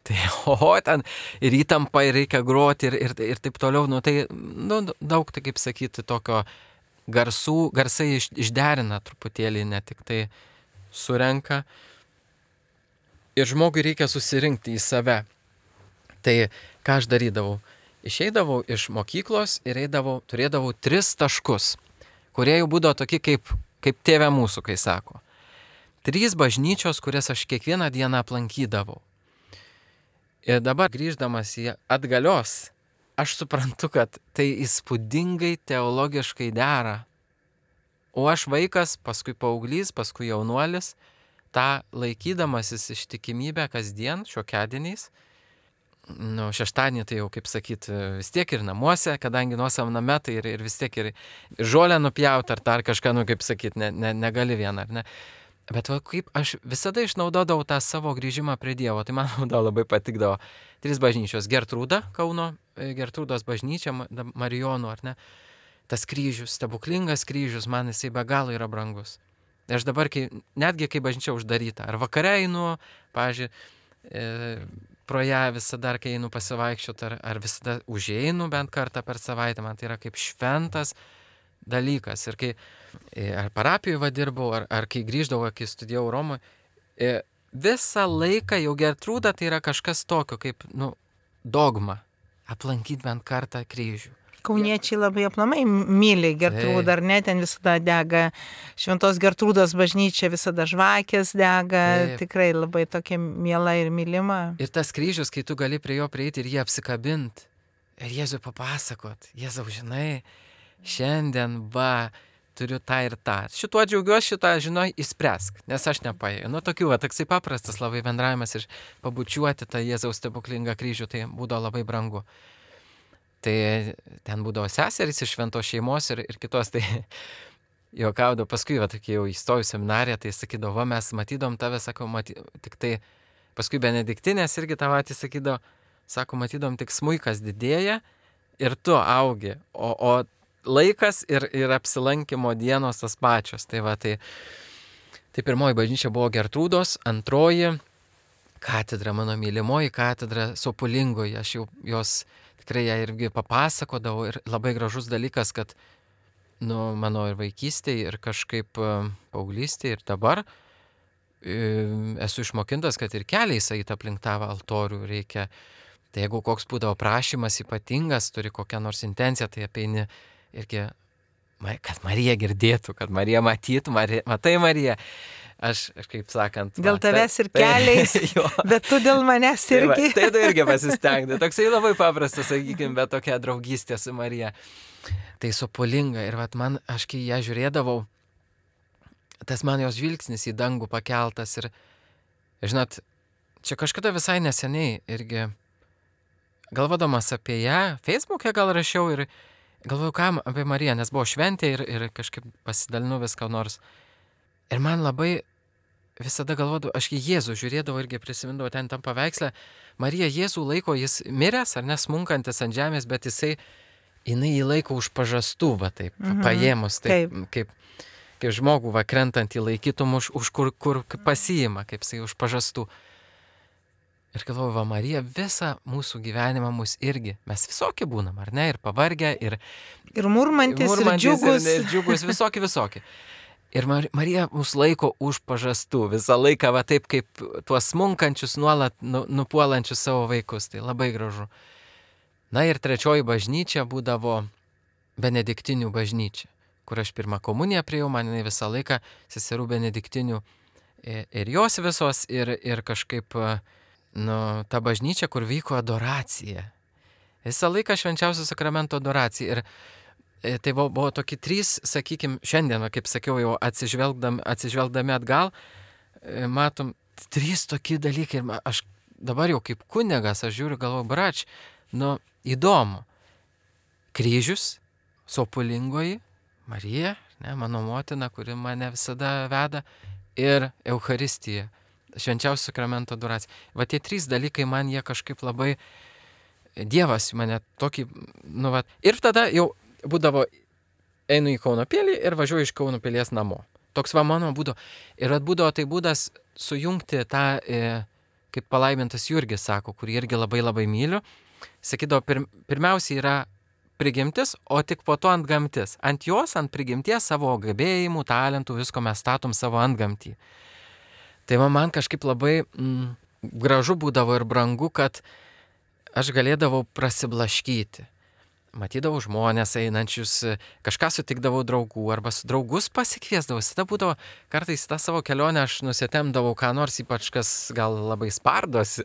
Speaker 3: Tai ten ir įtampa, ir reikia groti, ir taip toliau, daug, tai kaip sakyti, tokio garsai išderina truputėlį, ne tik tai surenka. Ir žmogui reikia susirinkti į save. Tai ką aš darydavau? Išeidavau iš mokyklos ir turėdavau 3 taškus, kurie jau būdavo tokie kaip tėve mūsų, kai sako. 3 bažnyčios, kurias aš kiekvieną dieną aplankydavau. Ir dabar grįždamas į atgalios, aš suprantu, kad tai įspūdingai teologiškai dera. O aš vaikas, paskui paauglys, paskui jaunuolis, tą laikydamasis ištikimybę kasdien, šiokiadieniais, šeštadienį tai jau, kaip sakyti, vis tiek ir namuose, kadangi nuosavam name, tai ir vis tiek ir žolę nupjauti, ar dar kažką, kaip sakyti, negali vieną, ar ne? Bet kaip aš visada išnaudodavau tą savo grįžimą prie Dievo, tai man labai patikdavo 3 bažnyčios, Gertrūda, Kauno Gertrūdos bažnyčia, Marijonų, ar ne? Tas kryžius, stebuklingas kryžius, man jisai be galo yra brangus. Ir aš dabar, netgi kai bažnyčia uždaryta, ar vakare einu, pavyzdžiui, pro ją visada, kai einu pasivaikščioti, ar visada užeinu bent kartą per savaitę, man tai yra kaip šventas dalykas. Ir kai ar parapijoje dirbau, ar kai grįždavau, kai studijavau Romoje, visą laiką jau Gertrūda tai yra kažkas tokio, kaip, dogma, aplankyti bent kartą kryžių.
Speaker 2: Kauniečiai labai aplamai myli Gertrūdą, ar ne, ten visada dega Šventos Gertrūdos bažnyčia, visada žvakės dega, tikrai labai tokia miela ir mylima.
Speaker 3: Ir tas kryžius, kai tu gali prie jo prieiti ir jį apsikabinti, ir Jėzui papasakot, Jėzau, žinai, šiandien turiu tą ir tą. Šituo džiaugiuosi, šitą, žinai, įspręsk, nes aš nepajėgiu. Tokių, toksai paprastas labai bendravimas ir pabučiuoti tą Jėzaus stebuklingą kryžių, tai būdavo labai brangu. Tai ten būdavo seserys iš šventos šeimos ir kitos, tai juokaudavo, paskui, kai jau įstojau seminariją, tai sakydavo, mes matydom tave, sakau, tik tai, paskui benediktinės irgi tą patį sakydavo, sako, matydom tik smuikas didėja ir tu augi, o laikas ir apsilankimo dienos tas pačios. Tai pirmoji bažnyčia buvo Gertrūdos, antroji katedra, mano mylimoji katedra Sopulingoje, aš jau jos tikrai ją irgi papasakodavau ir labai gražus dalykas, kad mano ir vaikystėje, ir kažkaip paauglystėje, ir dabar esu išmokintas, kad ir keliais eit aplink tą altorių reikia. Tai jeigu koks būdavo prašymas ypatingas, turi kokią nors intenciją, tai apeini irgi, kad Marija girdėtų, kad Marija matytų, matai Marija. Aš kaip sakant...
Speaker 2: Dėl tavęs ir keliais, bet tu dėl manęs irgi.
Speaker 3: Tai tu irgi pasistengti. Toksai labai paprastas, sakykime, bet tokia draugystė su Marija. Tai sopulinga. Ir man, aš kai ją žiūrėdavau, tas man jos žvilgsnis į dangų pakeltas. Ir, žinot, čia kažkada visai neseniai irgi galvodamas apie ją, Facebook'e gal rašiau ir galvojau, ką apie Mariją, nes buvo šventė ir kažkaip pasidalinu viską nors. Ir man labai visada galvodavau, aš į Jėzų žiūrėdavau irgi prisimindavau ten tam paveikslę. Marija Jėzų laiko, jis miręs ar nesmunkantis ant žemės, bet jinai jį laiko už pažastų, taip, paėmus, taip, kaip žmogų krentant į laikytum už kur pasiima, kaip jisai už pažastų. Ir galvoju, Marija visą mūsų gyvenimą mus irgi, mes visokie būnam, ar ne, ir pavargę, ir
Speaker 2: murmantis, ir džiugus.
Speaker 3: Ir džiugus, visokie. Ir Marija mus laiko už pažastų visą laiką, taip kaip tuos smunkančius, nuolat nupuolančius savo vaikus, tai labai gražu. Na ir trečioji bažnyčia būdavo benediktinių bažnyčia, kur aš pirmą komuniją priėjau, man jinai visą laiką seserų benediktinių ir jos visos, ir kažkaip, ta bažnyčia, kur vyko adoracija. Visą laiką švenčiausio sakramento adoracija. Ir tai buvo tokie 3, sakykime, šiandien, kaip sakiau, jau atsižvelgdami atgal, matom 3 tokie dalykai. Ir aš dabar jau kaip kunigas, aš žiūriu, galvoju, brač, įdomu. Kryžius, sopulingoji, Marija, mano motina, kuri mane visada veda, ir Eucharistija, švenčiausio sakramento adoracija. Va tie 3 dalykai man jie kažkaip labai, Dievas mane tokį, ir tada jau būdavo, einu į Kauno pilį ir važiuoju iš Kauno pilies namo. Toks mano būdavo. Ir būdavo tai būdas sujungti tą, kaip palaimintas Jurgis sako, kurį irgi labai labai myliu. Sakydavo, pirmiausia yra prigimtis, o tik po to antgamtis. Ant jos, ant prigimties savo gebėjimų, talentų, visko mes statom savo antgamtį. Tai man kažkaip labai gražu būdavo ir brangu, kad aš galėdavau prasiblaškyti. Matydavau žmonės einančius, kažką sutikdavau draugų, arba su draugus pasikviesdavau. Tada būdavo, kartais tą savo kelionę aš nusitemdavau ką nors, ypač kas gal labai spardosi,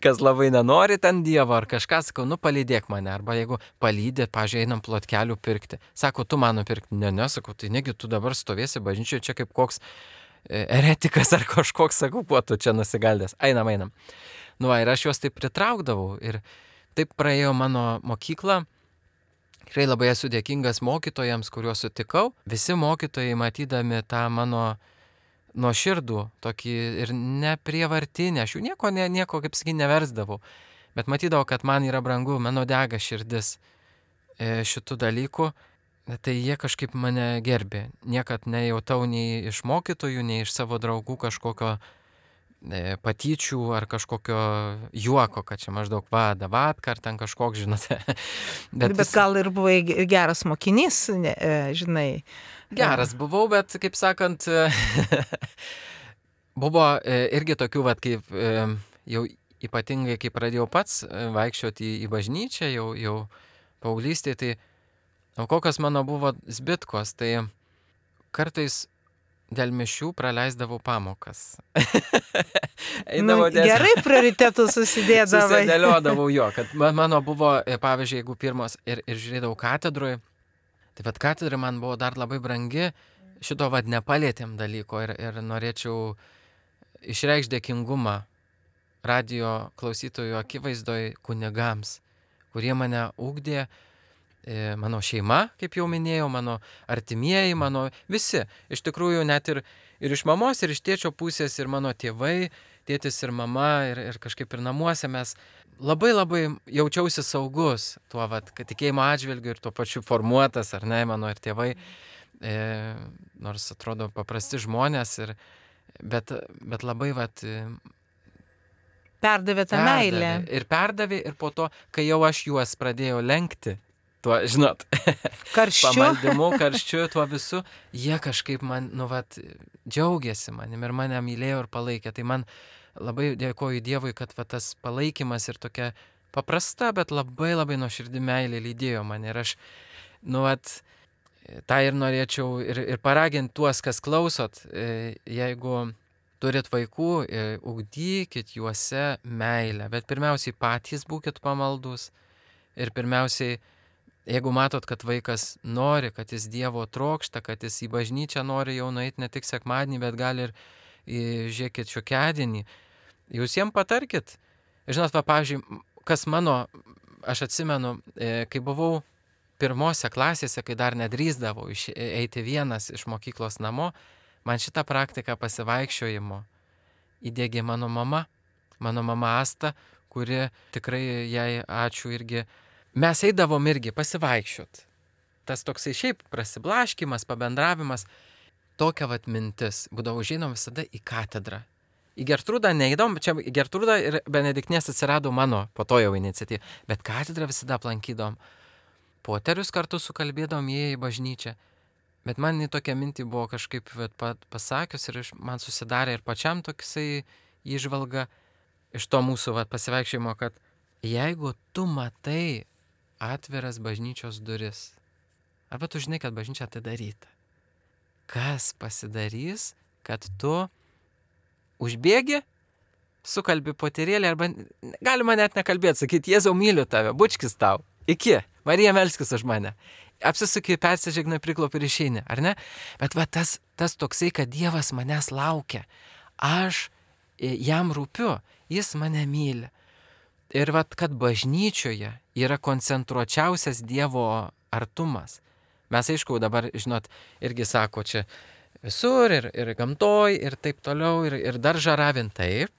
Speaker 3: kas labai nenori ten Dievo, ar kažką, sakau, palydėk mane, arba jeigu palydė, pažiūrėjau, einam plotkelių pirkti. Sako, tu man nupirkti, ne, sakau, tai negi tu dabar stovėsi bažnyčioje čia kaip koks eretikas ar kažkoks, sakau, kuo tu čia nusigaldęs. Einam. Ir aš juos taip pritraukdavau ir taip praėjo mano mokyklą. Tikrai labai esu dėkingas mokytojams, kuriuos sutikau. Visi mokytojai, matydami tą mano nuoširdų, tokį ir neprievartinį, aš jų nieko kaip sakyt, neversdavau. Bet matydavau, kad man yra brangu, mano dega širdis šitų dalykų. Tai jie kažkaip mane gerbė. Niekad nejautau nei iš mokytojų, nei iš savo draugų kažkokio patyčių ar kažkokio juoko, kad čia maždaug davatkar ten kažkoks, žinote.
Speaker 2: Bet gal ir buvai geras mokinys, žinai.
Speaker 3: Geras buvau, bet, kaip sakant, buvo irgi tokių, kaip jau ypatingai, kai pradėjau pats vaikščioti į bažnyčią, jau paauglystėje, tai kokios mano buvo zbitkos, tai kartais dėl mišių praleisdavau pamokas.
Speaker 2: Gerai prioritetų susidėdavai.
Speaker 3: Susidėliodavau jo, kad mano buvo, pavyzdžiui, jeigu pirmos ir žiūrėdavau katedrui, tai katedra man buvo dar labai brangi, šito nepalėtėm dalyko ir norėčiau išreikšti dėkingumą radijo klausytojų akivaizdoj kunigams, kurie mane ugdė, mano šeima, kaip jau minėjau, mano artimieji, mano visi. Iš tikrųjų, net ir iš mamos, ir iš tėčio pusės, ir mano tėvai, tėtis ir mama, ir kažkaip ir namuose mes labai labai jaučiausi saugus tuo, kad tikėjimo atžvilgiu ir tuo pačiu formuotas, ar ne, mano ir tėvai, nors atrodo paprasti žmonės, bet labai
Speaker 2: perdavė tą meilę.
Speaker 3: Ir perdavė, ir po to, kai jau aš juos pradėjau lenkti, tuo, žinot,
Speaker 2: Karščiu.
Speaker 3: pamaldimu, karščiu, tuo visu, jie kažkaip man, džiaugiasi manim ir mane mylėjo ir palaikė. Tai man labai dėkoju Dievui, kad tas palaikymas ir tokia paprasta, bet labai labai nuoširdi meilė lydėjo mane. Ir aš, tą ir norėčiau ir paraginti tuos, kas klausot, jeigu turit vaikų, ugdykit juose meilę, bet pirmiausiai patys būkit pamaldus ir pirmiausiai, jeigu matot, kad vaikas nori, kad jis Dievo trokšta, kad jis į bažnyčią nori jau nueiti ne tik sekmadienį, bet gali ir žiūrėkit šiokiadienį, jūs jiem patarkit. Žinot, pavyzdžiui, kas aš atsimenu, kai buvau pirmose klasėse, kai dar nedrįsdavau eiti vienas iš mokyklos namo, man šitą praktiką pasivaikščiojimo įdėgė mano mama Asta, kuri tikrai jai ačiū irgi. Mes eidavom irgi pasivaikščiot. Tas toksai šiaip prasiblaškimas, pabendravimas, tokia mintis. Būdavo žinom visada į katedrą. Į Gertrūdą neįdom, čia Gertrūda ir Benediktės atsirado mano po to jau iniciatyva, bet katedrą visada aplankydom. Poterius kartu sukalbėdom jie į bažnyčią. Bet man į tokią mintį buvo kažkaip pasakius ir man susidarė ir pačiam toksai įžvalga iš to mūsų pasivaikščiojimo, kad jeigu tu matai atviras bažnyčios duris, arba tu žinai, kad bažnyčia atidaryta, kas pasidarys, kad tu užbėgi, sukalbi poterėlį, arba galima net nekalbėti, sakyti, Jėzau, myliu tave, bučkis tau, iki, Marija melskis už mane. Apsisuki, persižegna, priklopi ir išeini, ar ne? Bet tas toksai, kad Dievas manęs laukia, aš jam rūpiu, jis mane myli. Ir kad bažnyčioje yra koncentruočiausias Dievo artumas. Mes aišku dabar, žinot, irgi sako čia visur ir gamtoj ir taip toliau ir dar žaravint taip.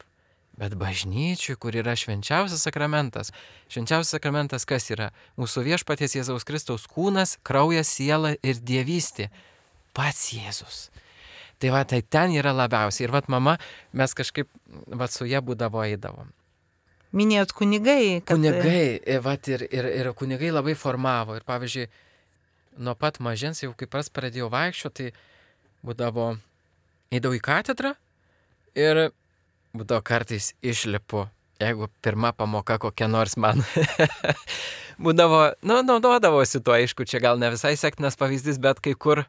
Speaker 3: Bet bažnyčiui, kur yra švenčiausias sakramentas. Švenčiausias sakramentas kas yra? Mūsų viešpaties Jėzaus Kristaus kūnas, kraujas, siela ir dievystė. Pats Jėzus. Tai ten yra labiausiai. Ir mama, mes kažkaip su ja būdavo eidavom.
Speaker 2: Minėjot kunigai.
Speaker 3: Kunigai, ir kunigai labai formavo. Ir pavyzdžiui, nuo pat mažens, jau kaip pradėjau vaikščioti, tai būdavo, eidavau į katedrą ir būdavo kartais išlipu, jeigu pirma pamoka kokia nors man būdavo, naudodavosi tuo, aišku, čia gal ne visai sektinas pavyzdys, bet kai kur,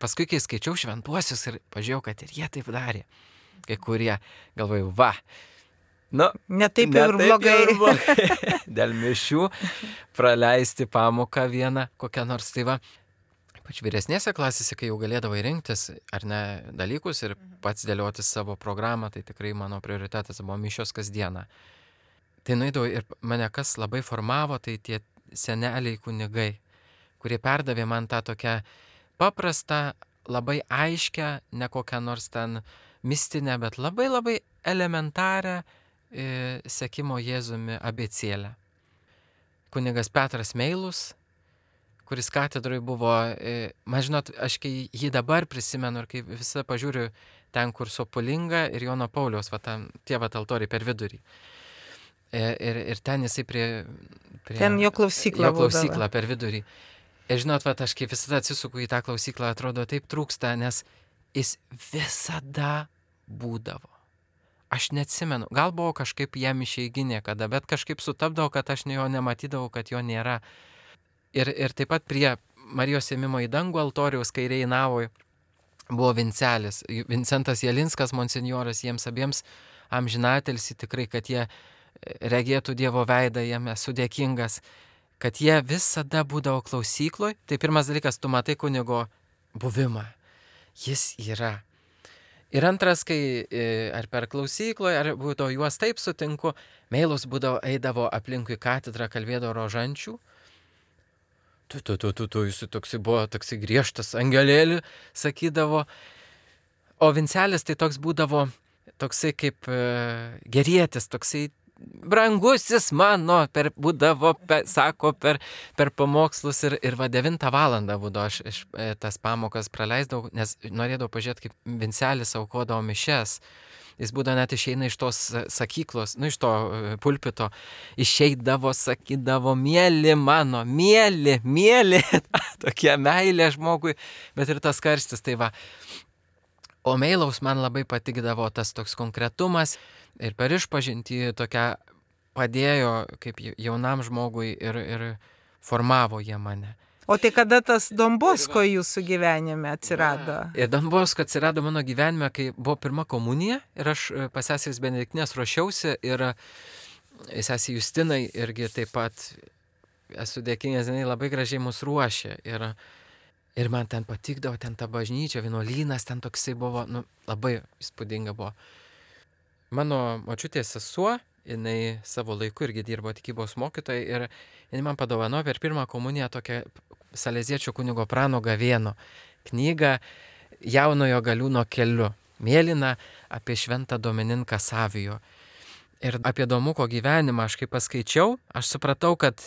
Speaker 3: paskui kai skaičiau šventuosius ir pažiūrėjau, kad ir jie taip darė, kai kurie, galvoju,
Speaker 2: ne taip ir blogai.
Speaker 3: Dėl mišių praleisti pamoką vieną, kokią nors, tai Pač vyresnėse klasėse, kai jau galėdavai rinktis ar ne dalykus ir pats dėlioti savo programą, tai tikrai mano prioritetas buvo mišios kasdieną. Tai nueidavau ir mane kas labai formavo, tai tie seneliai kunigai, kurie perdavė man tą tokią paprastą, labai aiškę, ne kokią nors ten mistinę, bet labai labai elementarią sekimo Jėzumi abėcėlę. Kunigas Petras Meilus, kuris katedroje buvo, man žinot, aš kai jį dabar prisimenu ir kai visą pažiūriu ten, kur Sopolinga ir Jono Pauliaus, tie altoriai per vidurį. Ir ten jisai prie
Speaker 2: ten jo klausykla
Speaker 3: per vidurį. Ir žinot, aš kaip visada atsisuku į tą klausyklą, atrodo taip trūksta, nes jis visada būdavo. Aš neatsimenu, gal buvo kažkaip jam išeiginė kada, bet kažkaip sutapdavo, kad aš jo nematydavau, kad jo nėra. Ir taip pat prie Marijos ėmimo į dangų altoriaus kairėje navoje buvo Vincelis, Vincentas Jelinskas, monsinjoras, jiems abiems amžinatilsį tikrai, kad jie regėtų Dievo veidą, jiem esu dėkingas, kad jie visada būdavo klausykloj. Tai pirmas dalykas, tu matai kunigo buvimą, jis yra. Ir antras, kai ar per klausykloje, ar būdavo juos taip sutinku, Meilus eidavo aplinkui katedrą, kalbėdavo rožančių. Jis toksai buvo, toksai griežtas angelėlį, sakydavo. O Vincelis tai toks būdavo, toksai kaip gerietis, toksai brangusis mano, būdavo, sako, per pamokslus ir va 9 valandą būdavo aš tas pamokas praleisdavau, nes norėdavau pažiūrėti, kaip Vincelis aukodavo mišes. Jis būdavo net išeina iš tos sakyklos, iš to pulpito, išeidavo, sakydavo, mėly mano, mėly, tokia meilė žmogui, bet ir tas karstis, tai va. O Meilaus man labai patikdavo tas toks konkretumas ir per išpažintį tokia padėjo kaip jaunam žmogui ir formavo jie mane.
Speaker 2: O tai kada tas Don Bosko jūsų gyvenime atsirado?
Speaker 3: Ir Don Bosko atsirado mano gyvenime, kai buvo pirma komunija ir aš pas sesės Benediktinės ruošiausi ir sesė Justinai irgi taip pat esu dėkingas, jinai labai gražiai mus ruošė ir man ten patikdavo, ten ta bažnyčia, vienuolynas, ten toksai buvo, labai įspūdinga buvo. Mano močiutės sesuo, jinai savo laiku irgi dirbo tikybos mokytojai ir jinai man padovanojo per pirmą komuniją tokią Saleziečio kunigo Prano Gavėno knygą Jaunojo Galiūno keliu, mėlyną apie šventą Domininką Savijo. Ir apie Domuko gyvenimą aš kaip paskaičiau, aš supratau, kad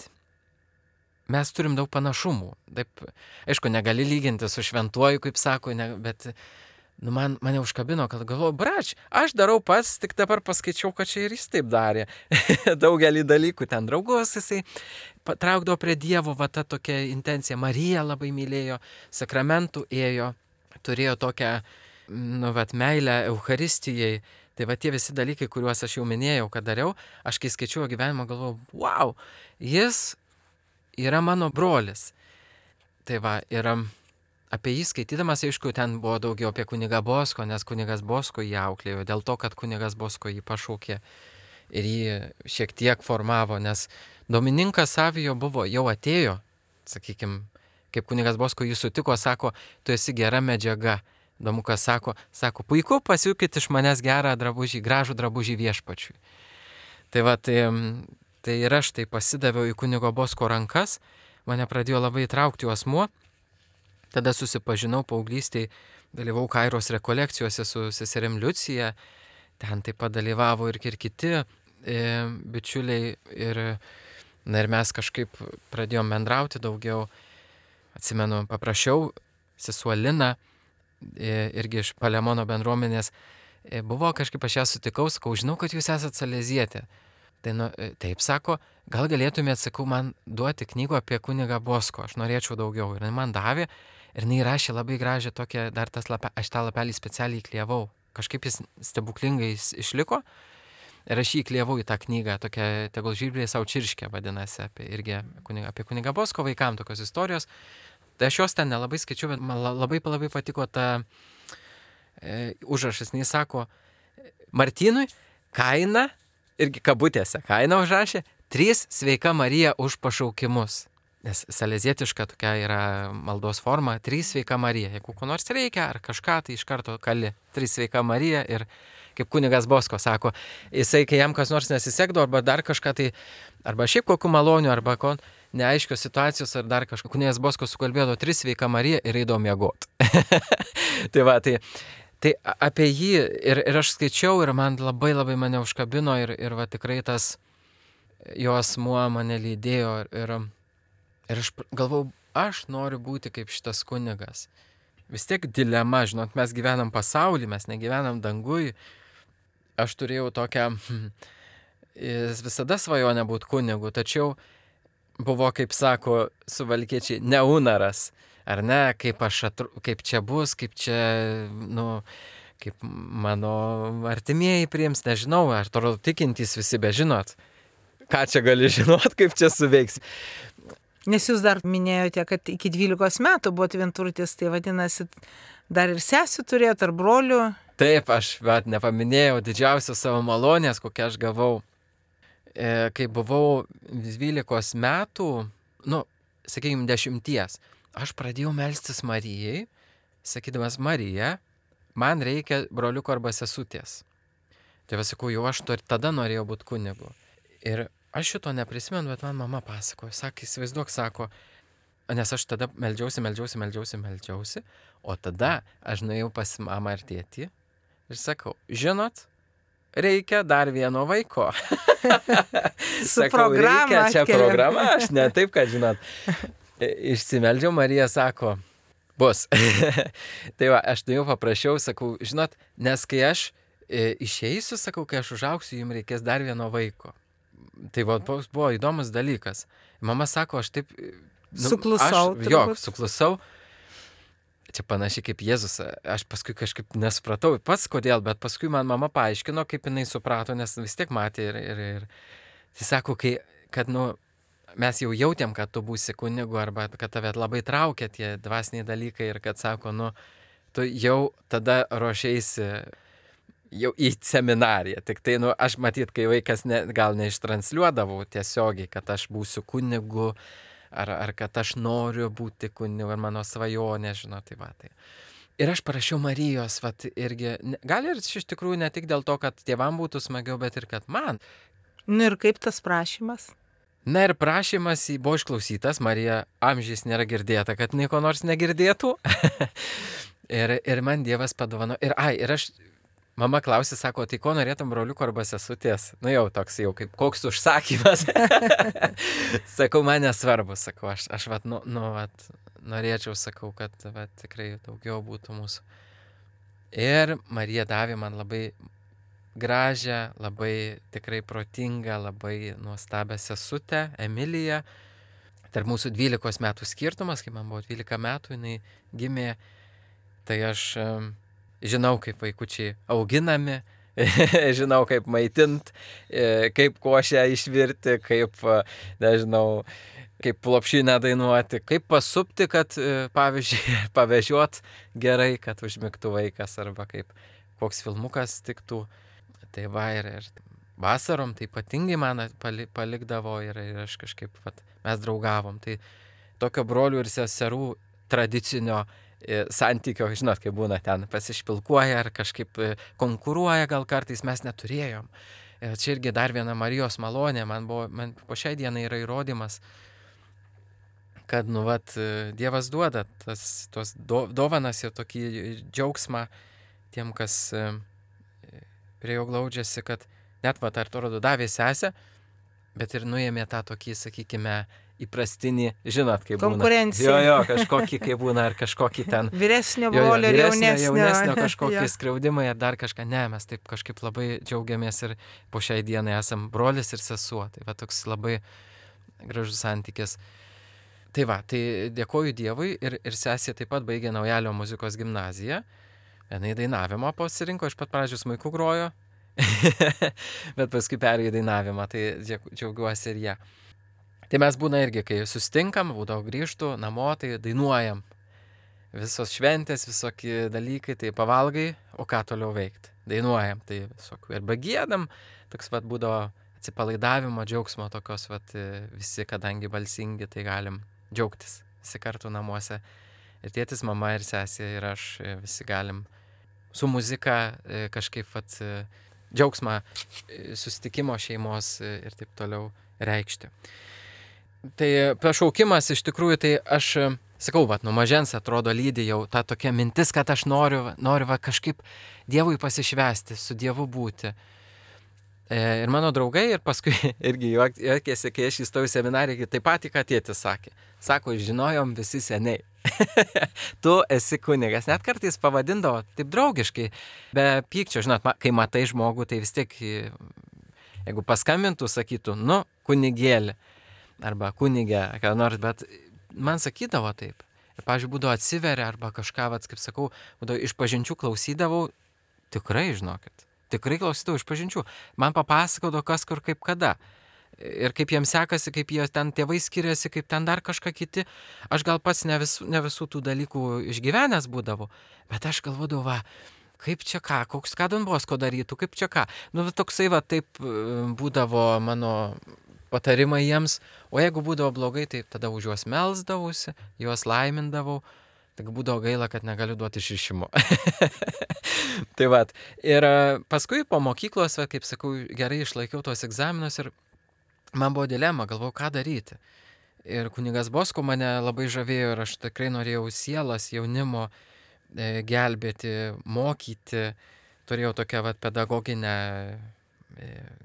Speaker 3: mes turim daug panašumų. Taip, aišku, negali lyginti su šventuoju, kaip sako, bet mane užkabino, kad galvoju, brač, aš darau pats, tik dabar paskaičiau, kad čia ir jis taip darė. Daugelį dalykų ten draugus jisai patraukdavo prie Dievo, va ta tokia intencija. Marija labai mylėjo, sakramentų ėjo, turėjo tokią, meilę Eucharistijai. Tai va tie visi dalykai, kuriuos aš jau minėjau, kad dariau, aš kai skaičiau gyvenimą, galvojau, wow, jis yra mano brolis. Tai va, ir apie jį skaitydamas, aišku, ten buvo daugiau apie kunigą Bosko, nes kunigas Bosko jį auklėjo, dėl to, kad kunigas Bosko jį pašaukė ir jį šiek tiek formavo, nes Domininkas Savijo jau atėjo, sakykime, kaip kunigas Bosko jį sutiko, sako, tu esi gera medžiaga. Domukas sako, puiku, pasiūkit iš manęs gerą drabužį, gražų drabužį viešpačiui. Tai va, tai ir aš tai pasidaviau į kunigo Bosko rankas, mane pradėjo labai traukti asmuo, tada susipažinau paauglystėj, dalyvau Kairos rekolekcijose su seserim Liucija, ten taip pat dalyvavo ir kiti bičiuliai ir mes kažkaip pradėjom bendrauti daugiau. Atsimenu, paprašiau sesuo Liną, irgi iš Palemono bendruomenės, buvo kažkaip aš ją sutikau, sakau, žinau, kad jūs esate salezietė. Tai taip sako, gal galėtumėt, sakau, man duoti knygų apie kunigą Bosko, aš norėčiau daugiau. Ir man davė ir jinai rašė labai gražią tokią, dar aš tą lapelį specialiai įklijavau. Kažkaip jis stebuklingai išliko ir aš jį įklijavau į tą knygą, tokia tegul žvirbliai savo čirškė vadinasi, apie kunigą Bosko vaikam tokios istorijos. Tai aš jos ten nelabai skaičiau, bet man labai patiko ta užrašas. Jis sako, Martynui kaina, irgi kabutėse kaina užrašė, 3 sveika Marija už pašaukimus. Nes salezietiška tokia yra maldos forma, 3 sveika Marija. Jeigu ko nors reikia ar kažką, tai iš karto kali 3 sveika Marija ir kaip kunigas Bosko sako, jisai, kai jam kas nors nesisekdavo arba dar kažką, tai arba šiaip kokių malonių, arba neaiškios situacijos ar dar kažką. Kunigas Bosko sukalbėdavo 3 sveika Marija ir eidavo miegot. Tai va, tai apie jį ir aš skaičiau ir man labai mane užkabino ir va tikrai tas jo asmuo mane lydėjo ir aš galvau, aš noriu būti kaip šitas kunigas. Vis tiek dilema, žinot, mes gyvenam pasauly, mes negyvenam dangui. Aš turėjau tokią visada svajonę būti kunigu, tačiau buvo, kaip sako suvalkiečiai, neunaras, ar ne, kaip čia bus, kaip čia, kaip mano artimieji priims, nežinau, ar toliau tikintys visi bežinot, ką čia gali žinot, kaip čia suveiks.
Speaker 2: Nes jūs dar minėjote, kad iki 12 metų buvot vienturtis, tai vadinasi, dar ir sesių turėjot, ar brolių?
Speaker 3: Taip, aš nepaminėjau didžiausios savo malonės, kokią aš gavau. Kai buvau 12 metų, sakykime 10, aš pradėjau melstis Marijai, sakydamas, Marija, man reikia broliuko arba sesutės. Tai sakau, jau aš tada norėjau būti kunigu. Ir aš šito neprisimenu, bet man mama pasakojo, įsivaizduok, sako, nes aš tada meldžiausi, o tada aš nuėjau pas mamą ir tėtį ir sakau, žinot, reikia dar vieno vaiko.
Speaker 2: Su
Speaker 3: Sakau,
Speaker 2: programa
Speaker 3: reikia čia
Speaker 2: atkeliam.
Speaker 3: programa, aš ne taip, kad žinot. Išsimeldžiau, Marija sako, bus. Tai va, aš jau paprašiau, sakau, žinot, nes kai aš išeisiu, sakau, kai aš užauksiu, jums reikės dar vieno vaiko. Tai va, buvo įdomus dalykas. Mama sako, aš taip...
Speaker 2: Suklusau.
Speaker 3: Suklusau. Čia panašiai kaip Jėzus. Aš paskui kažkaip nesupratau pats kodėl, bet paskui man mama paaiškino, kaip jinai suprato, nes vis tiek matė ir... Tai sako, kad, mes jau jautėm, kad tu būsi kunigu arba kad tave labai traukia tie dvasiniai dalykai ir kad sako, tu jau tada ruošeisi jau į seminariją. Tik tai, aš matyt, kai vaikas gal neištransliuodavau tiesiogiai, kad aš būsiu kunigu ar kad aš noriu būti kunigu, ar mano svajonė, žinot, tai va. Tai. Ir aš parašiau Marijos, irgi, gal ir iš tikrųjų ne tik dėl to, kad tėvam būtų smagiau, bet ir kad man.
Speaker 2: Ir kaip tas prašymas?
Speaker 3: Na ir prašymas buvo išklausytas, Marija amžiais nėra girdėta, kad nieko nors negirdėtų. ir man Dievas padovano. Ir aš, mama klausė, sako, tai ko norėtum broliuko arba sesutės? Jau toks jau kaip koks užsakymas. Sakau, man nesvarbu, sakau, aš norėčiau, sakau, kad tikrai daugiau būtų mūsų. Ir Marija davė man labai gražią, labai tikrai protingą, labai nuostabią sesutę, Emiliją. Tarp mūsų 12 metų skirtumas, kai man buvo 12 metų, jinai gimė, tai aš žinau, kaip vaikučiai auginami, žinau, kaip maitint, kaip košę išvirti, kaip, nežinau, kaip plopšinę dainuoti, kaip pasupti, kad, pavyzdžiui, pavežiot gerai, kad užmigtų vaikas, arba kaip koks filmukas tiktų. Tai va, ir vasarom tai ypatingai man palikdavo ir aš kažkaip, mes draugavom. Tai tokio brolių ir seserų tradicinio santykio, žinot, kai būna ten pasišpilkuoja ar kažkaip konkuruoja, gal kartais mes neturėjom. Čia irgi dar viena Marijos malonė, man po šiai dienai yra įrodymas, kad, Dievas duoda tos dovanas ir tokį džiaugsmą tiem, kas prie jo glaudžiasi, kad net atrodo davė sesę, bet ir nuėmė tą tokį, sakykime, įprastinį, žinot, kaip būna.
Speaker 2: Konkurencija.
Speaker 3: Jo, kažkokį, kaip būna, ar kažkokį ten...
Speaker 2: Vyresnio brolio ir
Speaker 3: jaunesnio kažkokį skriaudimą, ar dar kažką. Ne, mes taip kažkaip labai džiaugiamės ir po šiai dienai esam brolis ir sesuo. Tai toks labai gražus santykis. Tai tai dėkoju Dievui ir sesė taip pat baigė Naujalio muzikos gimnaziją. Vienai dainavimą pasirinko, iš pat pradžių smuiku grojo, bet paskui perėjo dainavimą, tai džiaugiuosi ir ją. Tai mes būna irgi, kai sustinkam, būdavo grįžtų namo, tai dainuojam. Visos šventės, visokie dalykai, tai pavalgai, o ką toliau veikti? Dainuojam, tai visokių. Arba giedam, toks būdavo atsipalaidavimo, džiaugsmo tokios, visi, kadangi balsingi, tai galim džiaugtis visi kartu namuose. Ir tėtis, mama ir sesė ir aš visi galim su muzika kažkaip džiaugsmą susitikimo šeimos ir taip toliau reikšti. Tai pašaukimas iš tikrųjų, tai aš sakau, nuo mažens atrodo lydi jau ta tokia mintis, kad aš noriu kažkaip Dievui pasišvęsti, su Dievu būti. Ir mano draugai, ir paskui irgi juokėsi, kai aš įstojau į seminariją, taip pat, ką tėtis sakė. Sako, žinojom visi seniai. Tu esi kunigas. Net kartais pavadindavo taip draugiškai, be pykčio. Žinot, kai matai žmogų, tai vis tiek, jeigu paskambintų, sakytų, kunigėlį arba kunigė, ką nors, bet man sakydavo taip. Ir, pavyzdžiui, būdavo atsiveria arba kažką, kaip sakau, būdavo išpažinčių klausydavau, tikrai, žinokit. Tikrai klausydavau išpažinčių. Man papasakodavo kas kur kaip kada. Ir kaip jiems sekasi, kaip jie ten tėvai skiriasi, kaip ten dar kažką kiti. Aš gal pats ne visų tų dalykų išgyvenęs būdavau, bet aš galvodavau, kaip čia ką, ką Don Bosko darytų, kaip čia ką. Toksai taip būdavo mano patarimai jiems, o jeigu būdavo blogai, tai tada už juos melsdavausi, juos laimindavau. Tik būdavo gaila, kad negaliu duoti išrišimo. Tai ir paskui po mokyklos, kaip sakau, gerai išlaikiau tuos egzaminus ir man buvo dilema, galvojau, ką daryti. Ir kunigas Bosko mane labai žavėjo ir aš tikrai norėjau sielas jaunimo gelbėti, mokyti turėjau tokią pedagoginę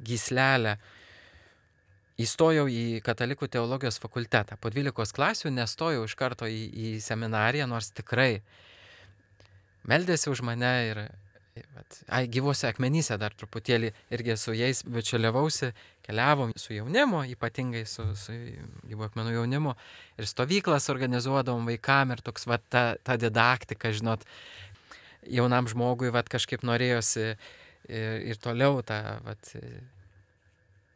Speaker 3: gyslelę. Įstojau į katalikų teologijos fakultetą. Po 12 klasių nestojau iš karto į seminariją, nors tikrai meldėsi už mane ir gyvuose akmenyse dar truputėlį irgi su jais bičiuliavausi, keliavom su jaunimu, ypatingai su gyvų akmenų jaunimu, ir stovyklas organizuodavom vaikam ir toks ta didaktika, žinot, jaunam žmogui kažkaip norėjosi ir toliau tą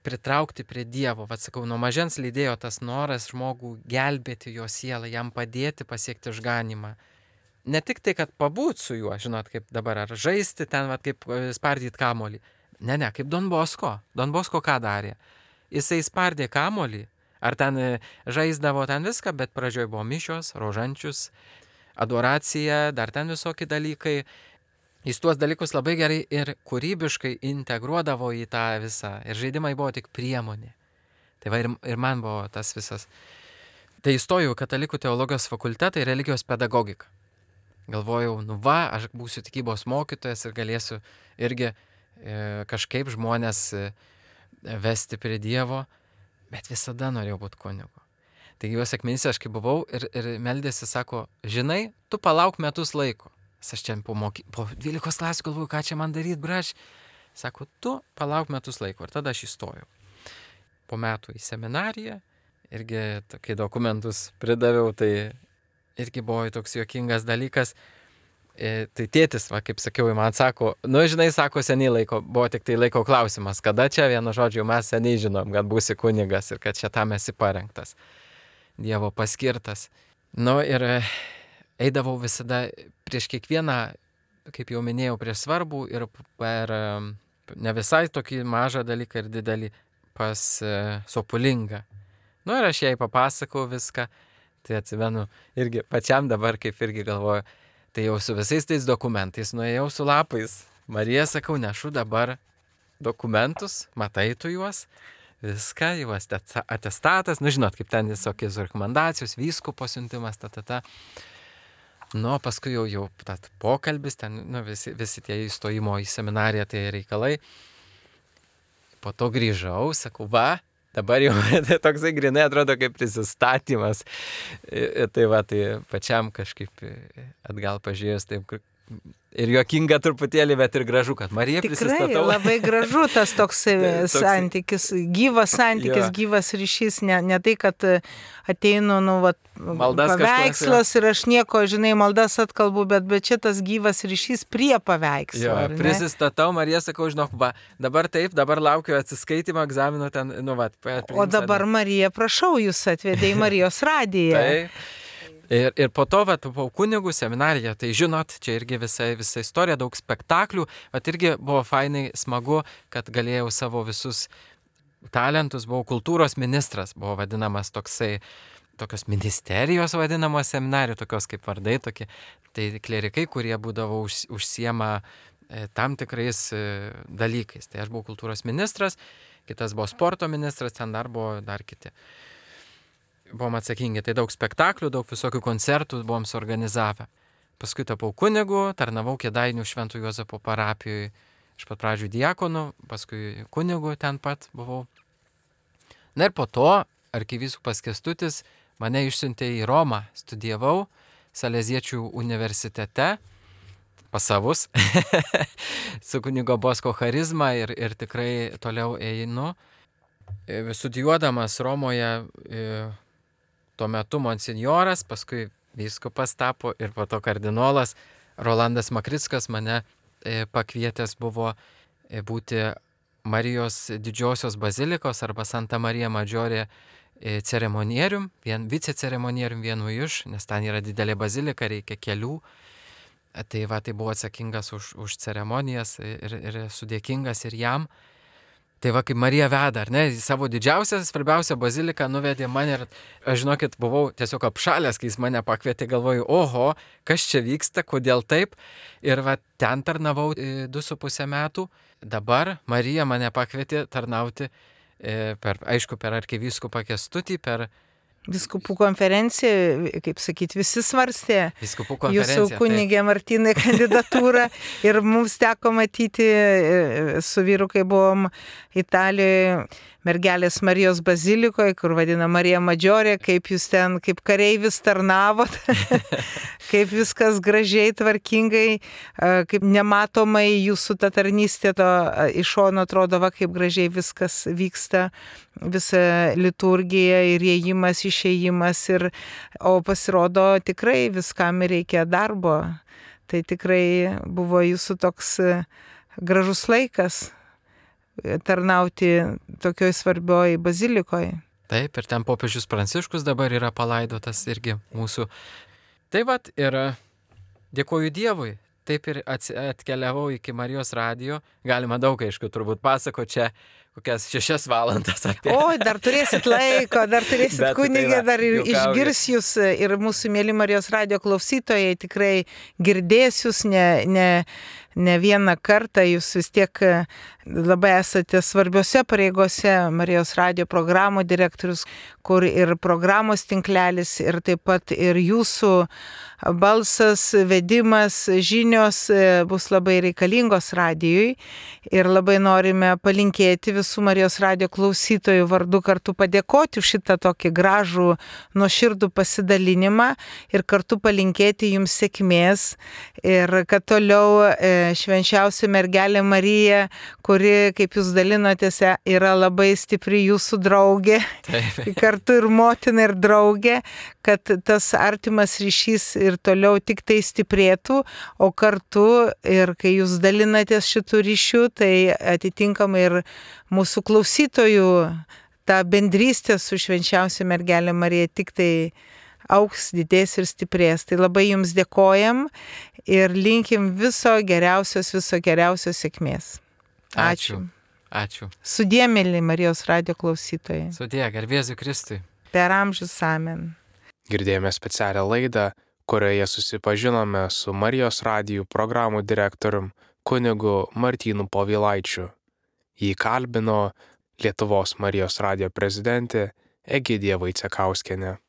Speaker 3: pritraukti prie Dievo. Sakau, nuo mažens lydėjo tas noras žmogų gelbėti jo sielą, jam padėti pasiekti išganymą. Ne tik tai, kad pabūt su juo, žinot, kaip dabar, ar žaisti ten, kaip spardyti kamolį. Ne, kaip Don Bosko. Don Bosko ką darė? Jisai spardė kamolį, ar ten žaisdavo ten viską, bet pradžioj buvo mišios, rožančius, adoracija, dar ten visokie dalykai. Jis tuos dalykus labai gerai ir kūrybiškai integruodavo į tą visą. Ir žaidimai buvo tik priemonė. Tai ir man buvo tas visas. Tai įstojau į katalikų teologijos fakultetą ir religijos pedagogiką. Galvojau, aš būsiu tikybos mokytojas ir galėsiu irgi kažkaip žmonės vesti prie Dievo, bet visada norėjau būti kunigu. Taigi juos akmenyse aš kaip buvau ir meldėsi, sako, žinai, tu palauk metus laiko. Aš čia po 12 klasių galvoju, ką čia man daryti, braš. Sako, tu palauk metus laiko. Ir tada aš įstojau. Po metų į seminariją, irgi kai dokumentus pridaviau, tai irgi buvo toks juokingas dalykas. Tai tėtis, kaip sakiau, man sako, žinai, sako, seniai laiko, buvo tik tai laiko klausimas, kada čia, vienu žodžiu, mes seniai žinom, kad būsi kunigas ir kad čia tam esi parengtas, Dievo paskirtas. Ir eidavau visada prieš kiekvieną, kaip jau minėjau, prieš svarbų ir per ne visai tokį mažą dalyką ir didelį pas Sopulingą. Ir aš jai papasakau viską, tai atsimenu irgi pačiam dabar, kaip irgi galvoju, tai jau su visais tais dokumentais nuėjau su lapais. Marija, sakau, nešu dabar dokumentus, matai tu juos, viską, jau atestatas, žinot, kaip ten visokios rekomendacijos, vyskupo siuntimas, paskui jau pokalbis, ten visi tie įstojimo į seminariją tai reikalai. Po to grįžau, sakau, dabar jau toksai grinai atrodo kaip prisistatymas. Tai pačiam kažkaip atgal pažiūrėjus taip ir juokinga truputėlį, bet ir gražu, kad Marija prisistatau.
Speaker 2: Tikrai labai gražu tas toks santykis, gyvas santykis, gyvas ryšys, ne tai, kad ateinu, paveikslas ir aš nieko, žinai, maldas atkalbu, bet čia tas gyvas ryšys prie paveikslo.
Speaker 3: Prisistatau, Marija, sakau, žinok, dabar taip, dabar laukiu atsiskaitimo egzamino ten,
Speaker 2: O dabar Marija, prašau, jūs atvedė į Marijos radiją.
Speaker 3: Taip. Ir po to, po kunigų seminariją, tai žinot, čia irgi visa istorija, daug spektaklių, irgi buvo fainai smagu, kad galėjau savo visus talentus, buvau kultūros ministras, buvo vadinamas tokios ministerijos vadinamos seminarijų, tokios kaip vardai, tokie, tai klerikai, kurie būdavo užsiema tam tikrais dalykais. Tai aš buvau kultūros ministras, kitas buvo sporto ministras, ten dar buvo dar kiti. Buvom atsakingi, tai daug spektaklių, daug visokių koncertų buvom suorganizavę. Paskui tapau kunigu, tarnavau Kėdainių Švento Juozapo parapijoje, iš pat pradžių diakonu, paskui kunigu ten pat buvau. Ir po to arkivyskupas Kęstutis mane išsiuntė į Romą, studijavau Saleziečių universitete, pas savus, su kunigo Bosko charizma ir tikrai toliau einu. Studijuodamas Romoje, tuo metu monsinjoras, paskui vyskupas tapo ir po to kardinolas Rolandas Makrickas mane pakvietęs buvo būti Marijos didžiosios bazilikos arba Santa Marija Maggiore ceremonierium, viceceremonierium vienu iš, nes ten yra didelė bazilika, reikia kelių. Tai buvo atsakingas už ceremonijas ir esu dėkingas ir jam. Tai kaip Marija veda, ar ne, savo didžiausią, svarbiausią baziliką nuvedė mane ir aš, žinokit, buvau tiesiog apšalęs, kai jis mane pakvietė, galvoju, oho, kas čia vyksta, kodėl taip. Ir ten tarnavau 2,5 metų. Dabar Marija mane pakvietė tarnauti per arkivyskupą Kęstutį, per
Speaker 2: Vyskupų konferencija, kaip sakyti, visi svarstė
Speaker 3: Vyskupų konferencija.
Speaker 2: jūsų kunigė Martynai kandidatūrą ir mums teko matyti su vyru, kai buvom Italijoje, Mergelės Marijos bazilikoje, kur vadina Marija Madžiorė, kaip jūs ten, kaip kareivis tarnavot, kaip viskas gražiai, tvarkingai, kaip nematomai jūsų ta tarnystė to iš šono atrodo, va, kaip gražiai viskas vyksta, visa liturgija ir įėjimas, išėjimas, o pasirodo tikrai viskam reikia darbo. Tai tikrai buvo jūsų toks gražus laikas tarnauti tokioj svarbioj bazilikoje.
Speaker 3: Taip, ir ten popiežius Pranciškus dabar yra palaidotas irgi mūsų. Tai vat ir dėkoju Dievui. Taip ir atkeliavau iki Marijos radijo. Galima daug, aišku, turbūt pasako čia kokias 6 valandas apie.
Speaker 2: O, dar turėsit laiko, dar turėsit kunigė, dar ir išgirs jūs ir mūsų mėly Marijos radijo klausytojai tikrai girdės jūs ne vieną kartą, jūs vis tiek labai esate svarbiose pareigose, Marijos radijo programų direktorius, kur ir programos tinklelis, ir taip pat ir jūsų balsas, vedimas, žinios bus labai reikalingos radijui ir labai norime palinkėti visų Marijos radijo klausytojų vardu kartu padėkoti už šitą tokį gražų, nuoširdų pasidalinimą ir kartu palinkėti jums sėkmės ir kad toliau švenčiausia mergelė Marija, kuri, kaip jūs dalinotės, yra labai stipri jūsų draugė, kartu ir motina ir draugė, kad tas artimas ryšys ir toliau tik tai stiprėtų, o kartu ir kai jūs dalinatės šitų ryšių, tai atitinkamai ir mūsų klausytojų ta bendrystė su švenčiausia mergelė Marija tik tai augs, didės ir stiprės. Tai labai jums dėkojam ir linkim viso geriausios sėkmės. Ačiū.
Speaker 3: Ačiū.
Speaker 2: Sudie, mėly Marijos radijo klausytojai.
Speaker 3: Sudie, garbėsiu Kristui.
Speaker 2: Per amžius amen.
Speaker 1: Girdėjome specialią laidą, kurioje susipažinome su Marijos radijų programų direktorium kunigu Martynu Povilaičiu. Jį kalbino Lietuvos Marijos radijo prezidentė Egidija Vaicekauskienė.